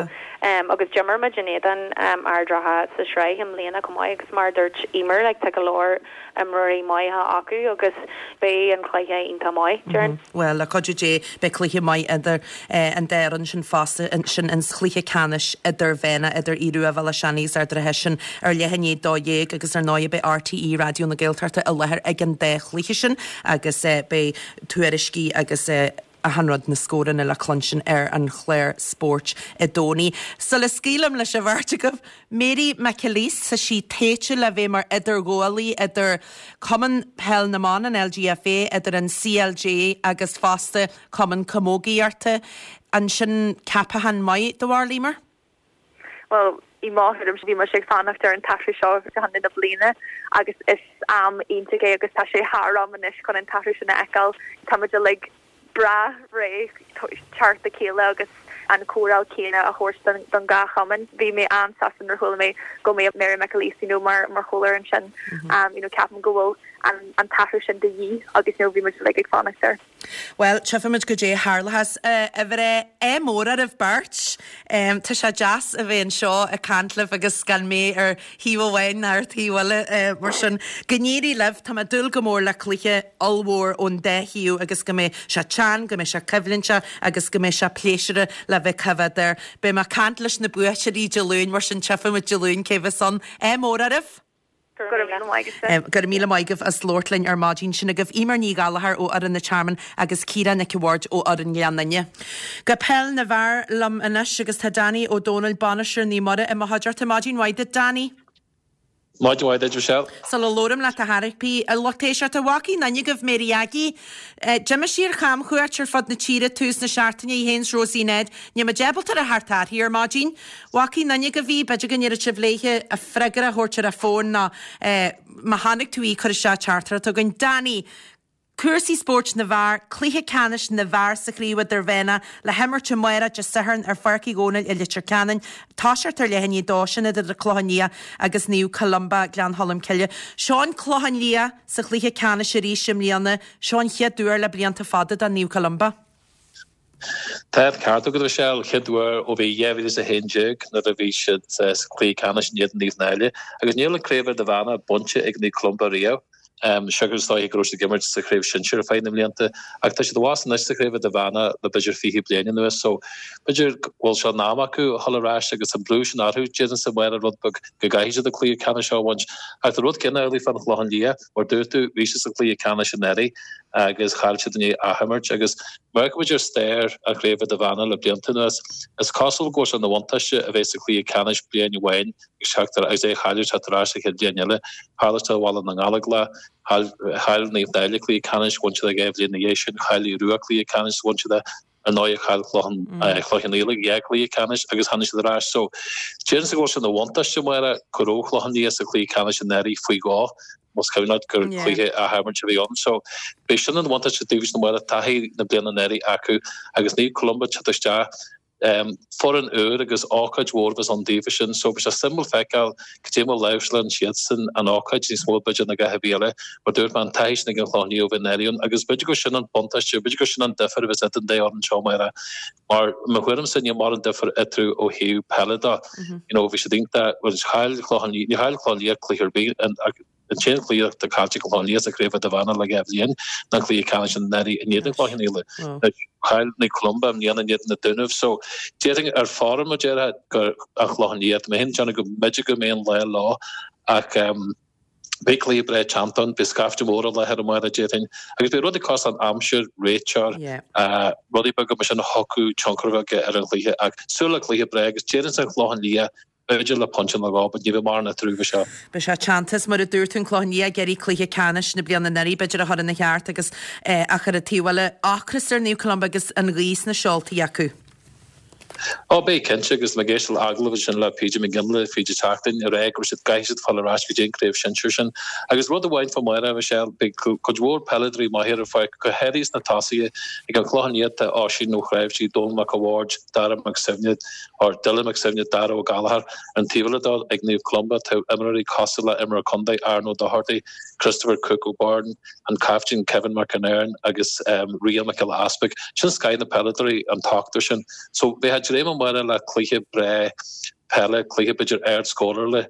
um, agus d'imir muid in éadan um, Ard Ratha sa sraith i mbliana chomh maith agus mar dúirt Emer like, tá go leor imreoirí maithe acu agus beidh an cluiche iontach maith déarfainn. Well le cuidiú Dé beidh cluiche maith idir eh, an dá fhoireann sin fosta sin an chluiche ceannais idirmheánach idir Aodh Rua Bhéal Átha Seanaidh agus Ard an Rátha sin ar leath i ndiaidh a dó dhéag agus ar ndóigh beidh RTÉ Raidió na Gaeltachta i láthair ag an dá chluiche sin agus eh, beidh tuairiscí agus eh, achan rud na scóranna le cluinstin ar an chlár spóirt i dCónaí. Sula scaoilim leis an bheirt agaibh, Mary McAleese tá sí tofa le bheith mar idirghabhálaí idir Cumann Peil na mBan an LGFA idir an CLG agus fosta Cumann Camógaíochta an sin ceapachán maith do bharúil Emer? Well, i mo thuairim bhí muid ag fanacht ar an t-athrú seo go na bliana agus is am iontach é agus tá sé thar am anois chun an t-athrú sin a fheiceáil Tá muid uilig breá réidh teacht le chéile agus an chóireáil chéanna a thabhairt don dhá chumann. Bhí mé an-sásta nuair a chuala mé go mbeidh Mary McAleese you know, mar mar chomhairleoir ansin um, you know, ceapaim go bhfuil an, an t-athrú sin de dhíth agus you know, bhí muid uilig ag fanacht air. Well, tchífimid goidé a tharlós a bhreith é mór ar beirt. Um, tá sé deas a bheith anseo ag caint libh agus gan mé ar thaobh amháin ar taobh eile uh, mar sin go n-éirí libh tá mé ag dúil go mór le cluiche ollmhór ón dá thaobh agus go mbeidh sé teann, go mbeidh sé coimhlinte agus go mbeidh sé pléisiúrtha le bheith coimhéad air. Beidh mé ag caint leis na buaiteoirí Dé Luain mar sin tchífimid Dé Luain cé bheas ann é mór oraibh. Go Go raibh míle maith agaibh as labhairt linn ar maidin sin agaibh Emer Ní Ghallchóir ó fhoireann an Tearmainn agus Ciara Nic an Bhaird ó fhoireann Ghleann Fhinne. Go peil na bhfear liom anois agus tá Danny Ó Dónaill bainisteoir Naomh Muire i mo chuideachta maidin mhaith duit Danny. Maidin mhaith duit Michelle. Sula labhraím leat a thairpí a lucht éisteachta an bhfaca aon duine agaibh Mary Aggie. D'imigh sí ar chamchuairt ar fud na tíre tús na seachtaine í féin 's Rosie Ned, Níl muid ábalta a theacht uirthi ar maidin. Bhfaca aon duine agaibh í, b'fhéidir go ndéarfadh sibh léithe a freagra a thabhairt ar a fón ná má chonaic tú í cuir isteach teachtaireacht chugainn. Danny, Cúrsaí spóirt na bhfear, cluiche ceannais na bhfear sa chraobh idirmheánach le himirt amárach Dé Sathairn ar Pháirc Uí Dhónaill i Leitir Ceanainn, toiseacht ar leath i ndiaidh a dó sin idir an Clochán Liath agus Naomh Columba Gleann Cholm Cille. Seo an Clochán Liath sa chluiche ceannais arís i mbliana, seo an chéad uair le blianta fada do Naomh Columba. Tá ceart agat Michelle chéad uair ó bhí dhá mhíle is a haon déag nuair a bhí siad sa chluiche ceannais in éadan Naomh Náille agus níl an craobh idirmheánach bainte ag Naomh Columba riamh. Um, Seachas is dóiche go raibh siad ag imirt sa chraobh sinsir ar feadh na mblianta ach tá siad abhus anois sa chraobh idirmheánach le b'fhéidir fiche bliain anuas so b'fhéidir go bhfuil sé in am acu a dhul ar ais agus an brú sin orthu déarfainnse mar rud beag go gcaithfidh siad an cluiche ceannais seo a bhaint ach tá rud céanna amhlaidh fán Chlochán Liath mar dúirt tú bhí siad sa chluiche ceannais anuraidh agus chaill siad in athimirt agus mar go bhfuil stair an chraobh idirmheánach le blianta anuas is cosúil go bhfuil sé ina bhuntáiste a bheith sa chluiche ceannais bliain amháin agus teacht agus é a chailleadh teacht ar ais sa chéad bhliain eile tharla sé Bhaile na nGallóglach chaill Naomh Náille cluiche ceannais bhain siad dhá bhliain ina dhiaidh sin chaill Aodh Rua cluiche ceannais bhain siad ar ndóigh chaill Clochán Cloich Cheann Fhaola dhá cluiche ceannais agus tháinig siad ar ais so déarfainnse go bhfuil sé ina bhuntáiste mar go raibh Clochán Liath sa chluiche ceannais anuraidh faoi dhó más cuimhin leat gur cluiche athimirt a bhí ann so beidh sin an bhuntáiste daofa sin mar taithí na bliana anuraidh acu agus Naomh Columba teacht isteach um, foireann úr agus ócáid mhór bheas ann daofa sin so beidh sé suimiúil feiceáil cad é mar láimhseálann siadsan an ócáid níos mó b'fhéidir ná gach ar bith eile mar dúirt mé an taithí sin ag an Chlochán Liath ó bhí anuraidh ann agus b'fhéidir go sin an buntáiste b'fhéidir go sin an difear a bheas idir an dá fhoireann seo mar mar mo thuairimse níl mórán difear eatarthu ó thaobh peile de you know bhí siad iontach well chaill Clochán Liath ní chaill Clochán Liath cluiche ar bith an t-aon chluiche atá caillte ag Clochán Liath sa chraobh idirmheánach le dhá bhliain ná an cluiche ceannais anuraidh in éadan Chloich Cheann Fhaola. Chaill Naomh Columba i mbliana in éadan na Dúnaibh so déarfainn ar form a déarfá gur an Clochán Liath mé féin déanamh go mb'fhéidir go mbeidh an lá leo ach um, beidh cluiche breá teannta ann, beidh scaifte mór i láthair amárach déarfainn agus beidh rudaí cosúil an aimsir, réiteoir, uh, rudaí beaga mar sin a thiocfadh tionchar a bheith ar an chluiche ach súil le cluiche breá agus déarfainnse an Clochán Liath b'fhéidir le pointe nó dhó, but ní bheidh mórán eatarthu seo. Beidh sé teannta mar a dúirt tú an Clochán Liath ag iarraidh cluiche ceannais na bliana anuraidh b'fhéidir a chur ina cheart agus ach ar an taobh eile ocras ar Naomh Columba agus an ghaoth sna seoltaí acu. Ó beidh cinnte agus mé ag éisteacht le agallamh ansin le PJ McGinley fríd an tseachtain ag rá go raibh siad caithfidh siad fáil ar ais go dtí an craobh sinsir sin. Agus rud amháin fá Máire, Michelle, beidh cuid mhór peileadóirí maithe ar an pháirc, go háirithe sna tosaithe ag an Chlochán Liath tá Oisín Ó Cnáimhsí, Dónal Mac a' Bhaird, Dara Mac Suibhne, or Dylan Mac Suibhne, Dara Ó Gallchóir, an taobh eile dó ag Naomh Columba tá imreoirí cosúil le imreoir contae Aaron Ó Dochartaigh, Christopher Cooke O'Byrne, an captaen Kevin McInerney agus Rian Mac Giolla Easpaig. Sin scoth na peileadóirí an t-ochtar sin. So bheifeá ag dréim amárach le cluiche breá peile, cluiche b'fhéidir ard-scórála,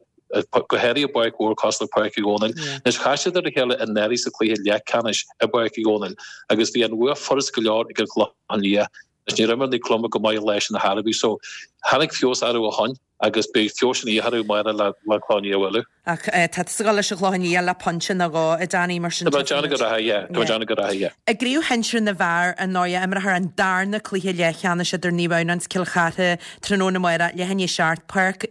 go háirithe i bpáirc mhór cosúil le Páirc Uí Dhónaill. Anois chas siad ar a chéile anuraidh sa chluiche leathcheannais i bPáirc Uí Dhónaill agus bhí an bhua furast go leor ag an Chlochán Liath. Anois níor imir Naomh Columba go maith an lá sin ar chor ar bith so tháinig feabhas orthu ó shoin agus beidh feabhas an oíche orthu amárach le le Clochán Liath a bhualadh. Ach tá tusa ag dul leis an Chlochán Liath le pointe nó dhó, a Danny, mar sin Tá mé ag déanamh go rachaidh, yeah. Tá mé ag déanamh go rachaidh, yeah. I gcraobh shinsir na bhfear, ar ndóigh, imreofar an darna cluiche leathcheannais idir Naomh Adhamhnáin is Cill Chartha tráthnóna amárach, leath i ndiaidh a seacht, Páirc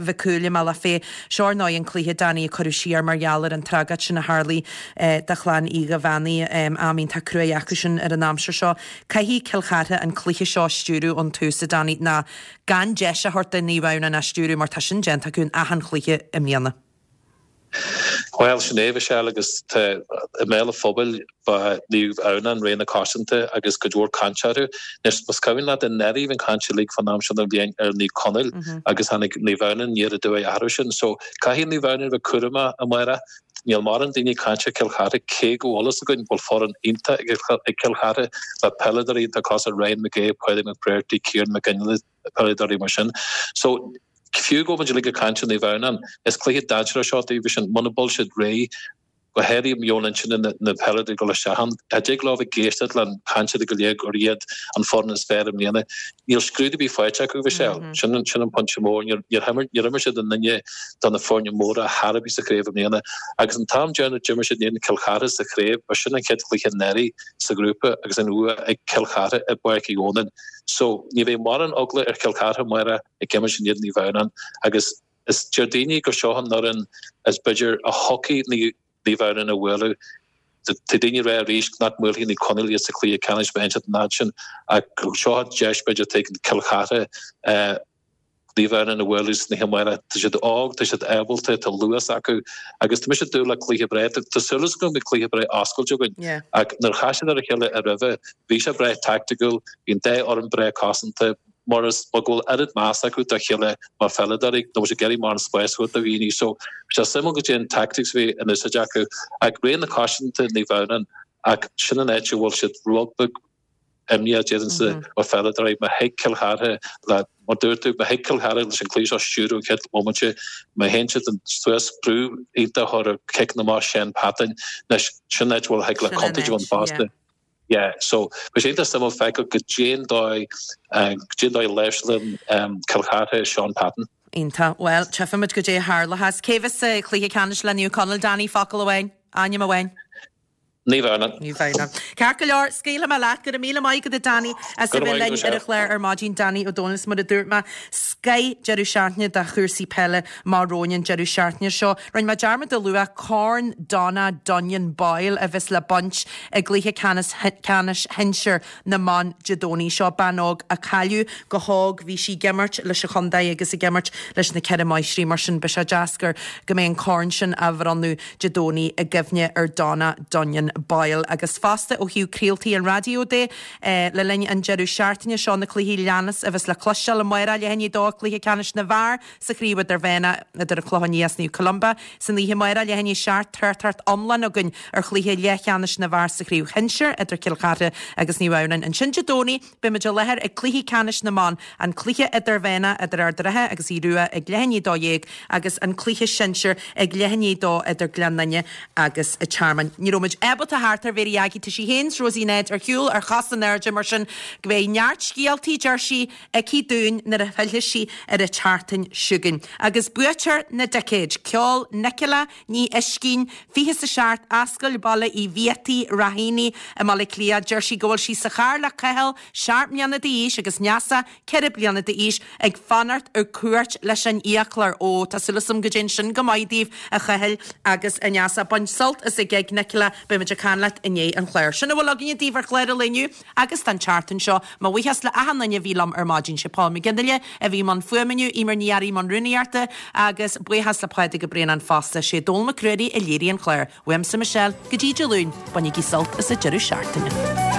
Mhic Cumhaill i mBealach Féich. Seo ar ndóigh an cluiche, Danny, a cuireadh siar mar gheall ar an tragóid sin a tharlaigh do chlann Uí Dhuibheannaigh. Am iontach cruaidh acu sin ar an aimsir seo. Caithfidh Cill Chartha an cluiche seo a stiúradh ón tús, a Danny, ná gan deis a thabhairt do Naomh Adhamhnáin é a stiúradh mar tá sin déanta acu in achan chluiche i mbliana. Bhuel, sin é, Michelle, agus tá i mbéal an phobail ba Naomh Adhamhnáin rogha na coitianta agus cuid mhór cainte orthu. Anois, más cuimhin leat, anuraidh bhí an chaint uilig fán am seo den bhliain ar Naomh Conaill agus tháinig Naomh Adhamhnáin aniar aduaidh orthu sin. So, caithfidh Naomh Adhamhnáin a bheith cúramach amárach. Níl mórán daoine ag caint ar Chill Chartha cé go bhfuil fhios againn go bhfuil foireann iontach ag Cill Chartha le peileadóirí iontach cosúil Ryan McGee, Pádraig McBrearty, Kieran McGinley, peileadóirí mar sin. So, fiú go bhfuil muid uilig ag caint ar Naomh Adhamhnáin, is cluiche dainséarach seo daofa sin muna bhfuil siad réidh go háirithe meon intinne na peileadóirí ag dul isteach ann. Cha dtig leo bheith ag éisteacht le cainteanna go léir gur iad an foireann is fearr i mbliana. Níl scrúdú ar bith faighte acu, Michelle. Sin an sin an pointe mór. Níor níor imir níor imir siad i nduine de na foirne móra thar a bith sa chraobh i mbliana. Agus an t-am deireanach d'imir siad in éadan Cill Chartha sa chraobh, ba sin an chéad chluiche anuraidh sa ghrúpa agus an bhua ag Cill Chartha i bPáirc Uí Dhónaill. So ní bheidh mórán eagla ar Chill Chartha amárach ag imirt in éadan Naomh Adhamhnáin agus is deir daoine gur seo an fhoireann is b'fhéidir a thiocfaidh Naomh Adhamhnáin a bhualadh. Tá daoine ag rá arís nach mbuailfidh Naomh Conaill iad sa chluiche ceannais má théann siad an fhad sin ach seo an deis b'fhéidir atá ag Cill Chartha Naomh Adhamhnáin a bhualadh san oíche amárach. Tá siad óg, tá siad ábalta, tá luas acu agus tá mise ag dúil le cluiche breá. Tá súil agam go mbeidh cluiche breá oscailte againn ach nuair a chas siad ar a chéile i roimhe bhí sé breá taicticiúil, bhí an dá fhoireann breá cosanta, mar is mar go bhfuil oiread meas acu dá chéile mar pheileadóirí, níl siad ag iarraidh mórán spáis a thabhairt do dhaoine. So bhí sé suimiúil goidé an tactics a bhí in úsáid acu ach rogha na coitianta Naomh Adhamhnáin ach sin an áit a bhfuil siad rud beag imníoch déarfainnse mar pheileadóirí má thig Cill Chartha le mar dúirt tú má thig Cill Chartha leis an cluiche seo a stiúradh an chéad bhomaite má théann siad suas brú iontach a chur ar ciceanna amach Shane Patton anois sin an áit a bhfuil thig le contúirt a bheith ann fosta. Yeah, so bhí sé iontach suimiúil feiceáil goidé an dóigh goidé an dóigh a láimhseálann Cill Chartha Sean Patton. Iontach. Bhuel, tchífimid goidé a tharlóchas. Cé bheas sa chluiche ceannais le Naomh Conaill, Danny? Focal amháin. Ainm amháin. Naomh Adhamhnáin. Naomh Adhamhnáin. Ceart go leor, scaoilfidh mé leat. Go raibh míle maith agat a Danny as a bheith linn ar an chlár ar maidin. Danny Ó Dónaill is mar a dúirt mé, scoith deireadh seachtaine de chúrsaí peile amach romhainn an deireadh seachtaine seo. Rinne mé dearmad a lua Corn Donna Dunnion Boyle a bheas le baint i gcluiche ceannais ceannais shinsir na mban Dé Domhnaigh seo. Bean óg a cailleadh go hóg, bhí sí ag imirt leis an chontae agus ag imirt leis na Ceithre Máistrí mar sin beidh sé deas gur go mbeidh an corn sin á bhronnadh Dé Domhnaigh i gcuimhne ar Donna Dunnion Boyle. Agus fosta ó thaobh craoltaí an raidió de, le linn an deireadh seachtaine seo na cluichí leanas a bheas le cloisteáil amárach leath i ndiaidh a dó cluiche ceannais na bhfear sa chraobh idirmheánach idir an Clochán Liath is Naomh Columba san oíche amárach leath i ndiaidh a seacht tráchtaireacht iomlán againn ar chluiche leathcheannais na bhfear sa chraobh shinsir idir Cill Chartha agus Naomh Adhamhnáin ansin Dé Domhnaigh beimid i láthair ag cluichí ceannais na mban an cluiche idirmheánach idir Ard an Rátha agus Aodh Rua ag leath i ndiaidh a dó dhéag agus an cluiche sinsir ag leath i ndiaidh a dó idir Gleann Fhinne agus an Tearmann. Ní raibh muid ábalta theacht ar Mhéirí Aggie, tá sí féin 's Rosie Ned ar shiúl ar chos in airde mar sin go mbeidh neart scéaltaí, deir sí, aici dúinn nuair a fhillfidh sí ar an tseachtain seo chugainn. Agus buaiteoir na dticéid, ceol Nicola Ní Oiscín, fiche is a seacht, Ascaill Baile Uí Bhiataigh, Ráithíní i mBaile Átha Cliath, deir sí go bhfuil sí sa charr le Cathal, seacht mbliana d'aois, agus Neasa, ceithre bliana d'aois, ag fanacht ar cuairt leis an fhiaclóir. Ó, tá súil agam go dtéann sin go maith daoibh, a Chathail agus a Neasa. Bain sult as an ghig, Nicola. Beidh muid ag ag caint leat i ndiaidh an chláir. Sin a bhfuil againne daoibh ar chlár an lae inniu agus don tseachtain seo. Mo bhuíochas le achan duine a bhí liom ar maidin. Sé Paul McGinley a bhí i mbun fuaime inniu, Eimear Ní Fhearraigh i mbun rúnaíochta agus buíochas le Pádraig Ó Braonáin fosta. Sé Dónal Mac Ruairí a léirigh an clár. Uaimse Michelle, go dtí Dé Luain, bainigí sult as an deireadh seachtaine.